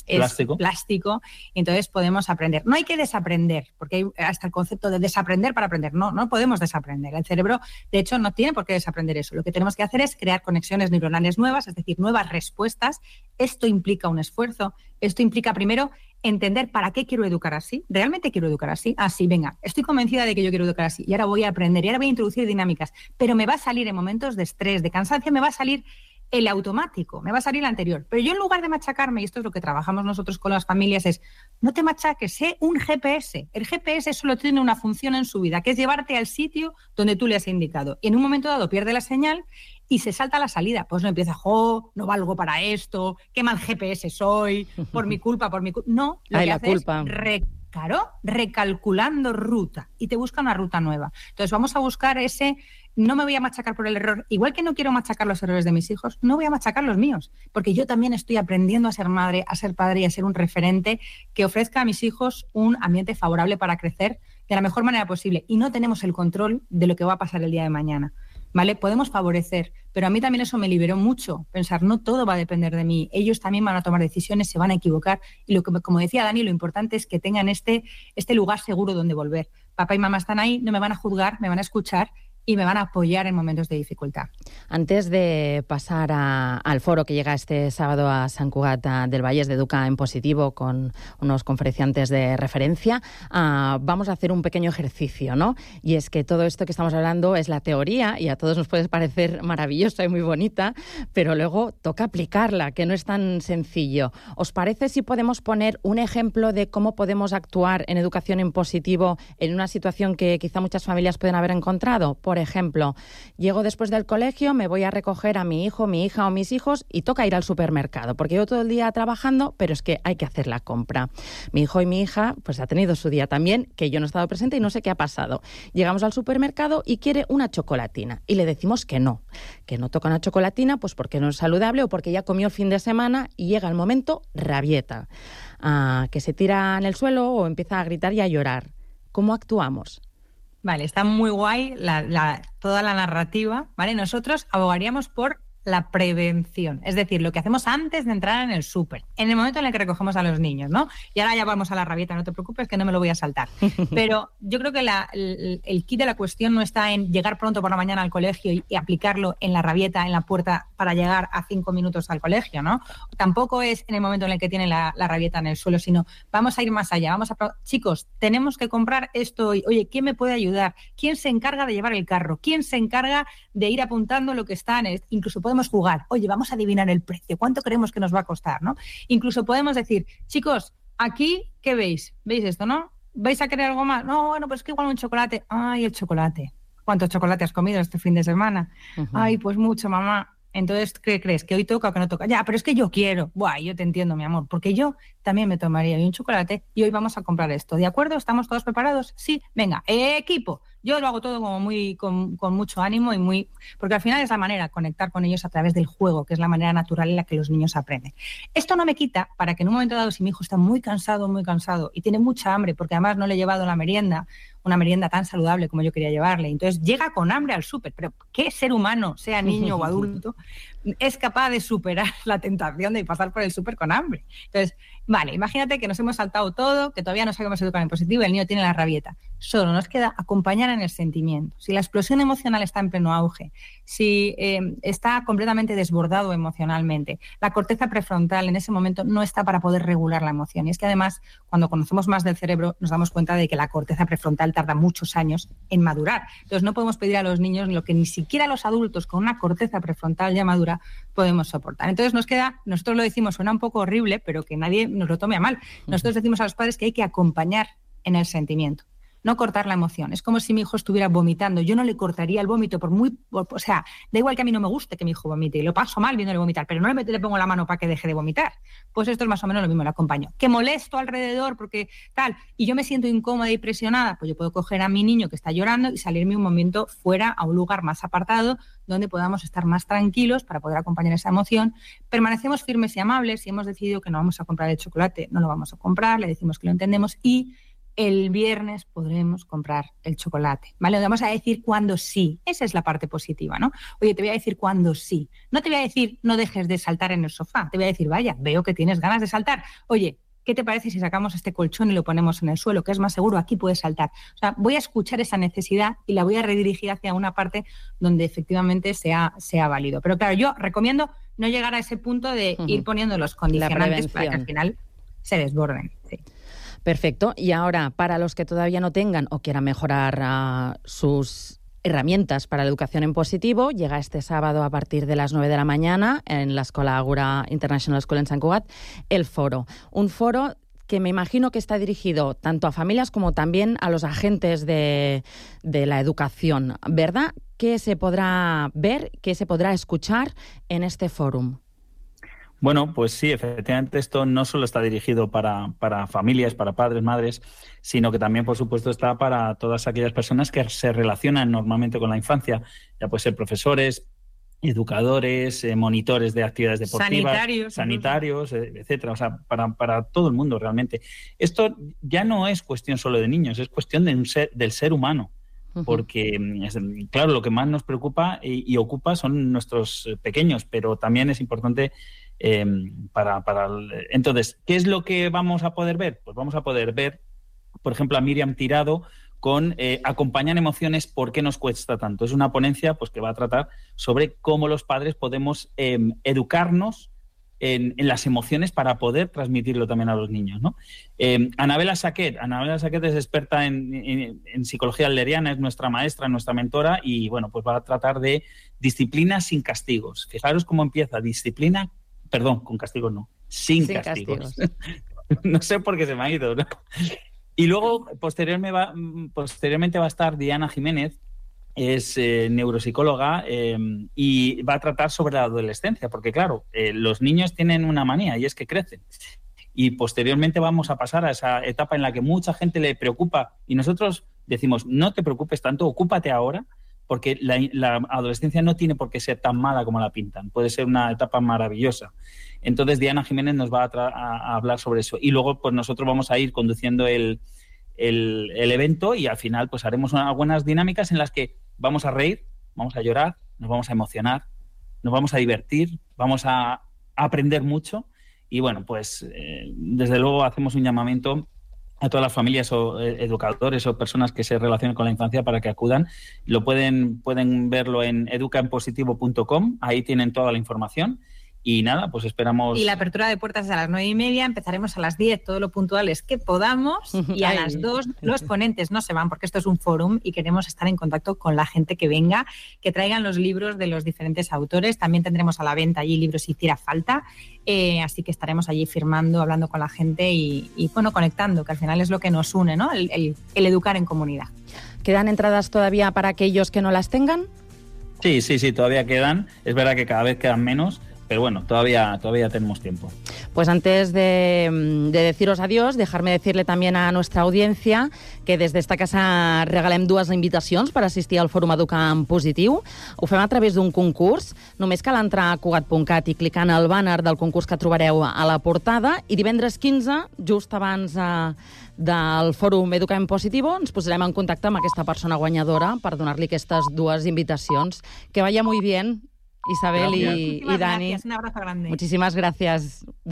es plástico. plástico, y entonces podemos aprender. No hay que desaprender, porque hay hasta el concepto de desaprender para aprender. No, no podemos desaprender. El cerebro, de hecho, no tiene por qué desaprender eso. Lo que tenemos que hacer es crear conexiones neuronales nuevas, es decir, nuevas respuestas. Esto implica un esfuerzo. Esto implica, primero, entender para qué quiero educar así. ¿Realmente quiero educar así? Ah, sí, venga, estoy convencida de que yo quiero educar así y ahora voy a aprender y ahora voy a introducir dinámicas, pero me va a salir en momentos de estrés, de cansancio, me va a salir el automático, me va a salir el anterior. Pero yo, en lugar de machacarme, y esto es lo que trabajamos nosotros con las familias, es no te machaques, sé un G P S. El G P S solo tiene una función en su vida, que es llevarte al sitio donde tú le has indicado. Y en un momento dado pierde la señal y se salta la salida. Pues no empieza, jo, no valgo para esto, qué mal G P S soy, por mi culpa, por mi culpa. No, lo Ay, que la hace culpa. es re Claro, recalculando ruta y te busca una ruta nueva. Entonces vamos a buscar ese, no me voy a machacar por el error, igual que no quiero machacar los errores de mis hijos, no voy a machacar los míos, porque yo también estoy aprendiendo a ser madre, a ser padre y a ser un referente que ofrezca a mis hijos un ambiente favorable para crecer de la mejor manera posible, y no tenemos el control de lo que va a pasar el día de mañana. ¿Vale? Podemos favorecer, pero a mí también eso me liberó mucho, pensar, no todo va a depender de mí, ellos también van a tomar decisiones, se van a equivocar, y lo que, como decía Dani, lo importante es que tengan este, este lugar seguro donde volver. Papá y mamá están ahí, no me van a juzgar, me van a escuchar y me van a apoyar en momentos de dificultad. Antes de pasar a, al foro que llega este sábado a Sant Cugat del Vallès de Educa en Positivo con unos conferenciantes de referencia, uh, vamos a hacer un pequeño ejercicio, ¿no? Y es que todo esto que estamos hablando es la teoría y a todos nos puede parecer maravillosa y muy bonita, pero luego toca aplicarla, que no es tan sencillo. ¿Os parece si podemos poner un ejemplo de cómo podemos actuar en educación en positivo en una situación que quizá muchas familias pueden haber encontrado? Por ejemplo, llego después del colegio, me voy a recoger a mi hijo, mi hija o mis hijos y toca ir al supermercado, porque yo todo el día trabajando, pero es que hay que hacer la compra. Mi hijo y mi hija pues ha tenido su día también, que yo no he estado presente y no sé qué ha pasado. Llegamos al supermercado y quiere una chocolatina y le decimos que no, que no toca una chocolatina pues porque no es saludable o porque ya comió el fin de semana, y llega el momento rabieta, ah, que se tira en el suelo o empieza a gritar y a llorar. ¿Cómo actuamos? Vale, está muy guay la, la, toda la narrativa, ¿vale? Nosotros abogaríamos por la prevención. Es decir, lo que hacemos antes de entrar en el súper, en el momento en el que recogemos a los niños, ¿no? Y ahora ya vamos a la rabieta, no te preocupes que no me lo voy a saltar. Pero yo creo que la, el, el kit de la cuestión no está en llegar pronto por la mañana al colegio y, y aplicarlo en la rabieta, en la puerta, para llegar a cinco minutos al colegio, ¿no? Tampoco es en el momento en el que tienen la, la rabieta en el suelo, sino vamos a ir más allá. Vamos a, chicos, tenemos que comprar esto hoy. Oye, ¿quién me puede ayudar? ¿Quién se encarga de llevar el carro? ¿Quién se encarga de ir apuntando lo que está en el... Incluso podemos jugar. Oye, vamos a adivinar el precio. ¿Cuánto creemos que nos va a costar, no? Incluso podemos decir, chicos, aquí, ¿qué veis? ¿Veis esto, no? ¿Vais a querer algo más? No, bueno, pues que igual un chocolate. Ay, el chocolate. ¿Cuántos chocolates has comido este fin de semana? Uh-huh. Ay, pues mucho, mamá. Entonces, ¿qué crees? ¿Que hoy toca o que no toca? Ya, pero es que yo quiero. Buah, yo te entiendo, mi amor, porque yo también me tomaría un chocolate y hoy vamos a comprar esto. ¿De acuerdo? ¿Estamos todos preparados? Sí. Venga, equipo. Yo lo hago todo como muy con, con mucho ánimo y muy... Porque al final es la manera de conectar con ellos a través del juego, que es la manera natural en la que los niños aprenden. Esto no me quita para que en un momento dado, si mi hijo está muy cansado, muy cansado y tiene mucha hambre, porque además no le he llevado la merienda, una merienda tan saludable como yo quería llevarle, entonces llega con hambre al súper, pero ¿qué ser humano, sea niño o adulto, es capaz de superar la tentación de pasar por el súper con hambre? Entonces, vale, imagínate que nos hemos saltado todo, que todavía no sabemos educar en positivo y el niño tiene la rabieta. Solo nos queda acompañar en el sentimiento. Si la explosión emocional está en pleno auge, si eh, está completamente desbordado emocionalmente, la corteza prefrontal en ese momento no está para poder regular la emoción. Y es que además, cuando conocemos más del cerebro, nos damos cuenta de que la corteza prefrontal tarda muchos años en madurar. Entonces no podemos pedir a los niños lo que ni siquiera los adultos con una corteza prefrontal ya madura podemos soportar. Entonces nos queda, nosotros lo decimos, suena un poco horrible, pero que nadie nos lo tome a mal. Nosotros decimos a los padres que hay que acompañar en el sentimiento, no cortar la emoción. Es como si mi hijo estuviera vomitando. Yo no le cortaría el vómito por muy... Por, o sea, da igual que a mí no me guste que mi hijo vomite y lo paso mal viéndole vomitar, pero no le, le pongo la mano para que deje de vomitar. Pues esto es más o menos lo mismo, lo acompaño. Que molesto alrededor porque tal, y yo me siento incómoda y presionada, pues yo puedo coger a mi niño que está llorando y salirme un momento fuera a un lugar más apartado donde podamos estar más tranquilos para poder acompañar esa emoción. Permanecemos firmes y amables. Si hemos decidido que no vamos a comprar el chocolate, no lo vamos a comprar, le decimos que lo entendemos y el viernes podremos comprar el chocolate, ¿vale? Vamos a decir cuándo sí. Esa es la parte positiva, ¿no? Oye, te voy a decir cuándo sí. No te voy a decir no dejes de saltar en el sofá. Te voy a decir, vaya, veo que tienes ganas de saltar. Oye, ¿qué te parece si sacamos este colchón y lo ponemos en el suelo, que es más seguro? Aquí puedes saltar. O sea, voy a escuchar esa necesidad y la voy a redirigir hacia una parte donde efectivamente sea, sea válido. Pero claro, yo recomiendo no llegar a ese punto de uh-huh. ir poniendo los condicionantes para que al final se desborden. Sí. Perfecto. Y ahora, para los que todavía no tengan o quieran mejorar uh, sus herramientas para la educación en positivo, llega este sábado a partir de las nueve de la mañana en la Escola Ágora International School en Sant Cugat el foro. Un foro que me imagino que está dirigido tanto a familias como también a los agentes de, de la educación, ¿verdad? ¿Qué se podrá ver, qué se podrá escuchar en este fórum? Bueno, pues sí, efectivamente esto no solo está dirigido para, para familias, para padres, madres, sino que también, por supuesto, está para todas aquellas personas que se relacionan normalmente con la infancia, ya puede ser profesores, educadores, eh, monitores de actividades deportivas, sanitarios, sanitarios eh, etcétera, o sea, para, para todo el mundo realmente. Esto ya no es cuestión solo de niños, es cuestión de un ser, del ser humano. Porque, claro, lo que más nos preocupa y, y ocupa son nuestros pequeños, pero también es importante eh, para, para... El... Entonces, ¿qué es lo que vamos a poder ver? Pues vamos a poder ver, por ejemplo, a Miriam Tirado con eh, Acompañar emociones, ¿por qué nos cuesta tanto? Es una ponencia pues, que va a tratar sobre cómo los padres podemos eh, educarnos En, en las emociones para poder transmitirlo también a los niños, ¿no? Eh, Anabela Saquet, Anabela Saquet es experta en, en, en psicología adleriana, es nuestra maestra, nuestra mentora y, bueno, pues va a tratar de disciplina sin castigos. Fijaros cómo empieza, disciplina, perdón, con castigos no, sin, sin castigos. castigos. No sé por qué se me ha ido, ¿no? Y luego, posteriormente va, posteriormente va a estar Diana Jiménez, es eh, neuropsicóloga eh, y va a tratar sobre la adolescencia, porque claro, eh, los niños tienen una manía y es que crecen. Y posteriormente vamos a pasar a esa etapa en la que mucha gente le preocupa y nosotros decimos, no te preocupes tanto, ocúpate ahora, porque la, la adolescencia no tiene por qué ser tan mala como la pintan, puede ser una etapa maravillosa. Entonces Diana Jiménez nos va a, tra- a hablar sobre eso y luego pues nosotros vamos a ir conduciendo el, el, el evento y al final pues haremos unas buenas dinámicas en las que vamos a reír, vamos a llorar, nos vamos a emocionar nos vamos a divertir, vamos a aprender mucho y bueno, pues eh, desde luego hacemos un llamamiento a todas las familias o educadores o personas que se relacionen con la infancia para que acudan. Lo pueden, pueden verlo en educa en positivo punto com, ahí tienen toda la información. Y nada, pues esperamos... Y la apertura de puertas es a las nueve y media, empezaremos a las diez, todo lo puntuales que podamos, y a las dos los ponentes no se van, porque esto es un fórum y queremos estar en contacto con la gente que venga, que traigan los libros de los diferentes autores. También tendremos a la venta allí libros si hiciera falta, eh, así que estaremos allí firmando, hablando con la gente y, y bueno, conectando, que al final es lo que nos une, ¿no? El, el, el educar en comunidad. ¿Quedan entradas todavía para aquellos que no las tengan? Sí, sí, sí, todavía quedan. Es verdad que cada vez quedan menos, pero bueno, todavía, todavía tenemos tiempo. Pues antes de, de deciros adiós, dejarme decirle también a nuestra audiencia que des d'esta casa regalem dues invitacions per assistir al Fòrum Educar en Positiu. Ho fem a través d'un concurs. Només cal entrar a cugat punt cat i clicar en el bàner del concurs que trobareu a la portada i divendres quinze, just abans eh, del Fòrum Educar en Positivo, ens posarem en contacte amb aquesta persona guanyadora per donar-li aquestes dues invitacions. Que vaya muy bien, Isabel y, y Dani. Gracias, un abrazo grande. Muchísimas gracias.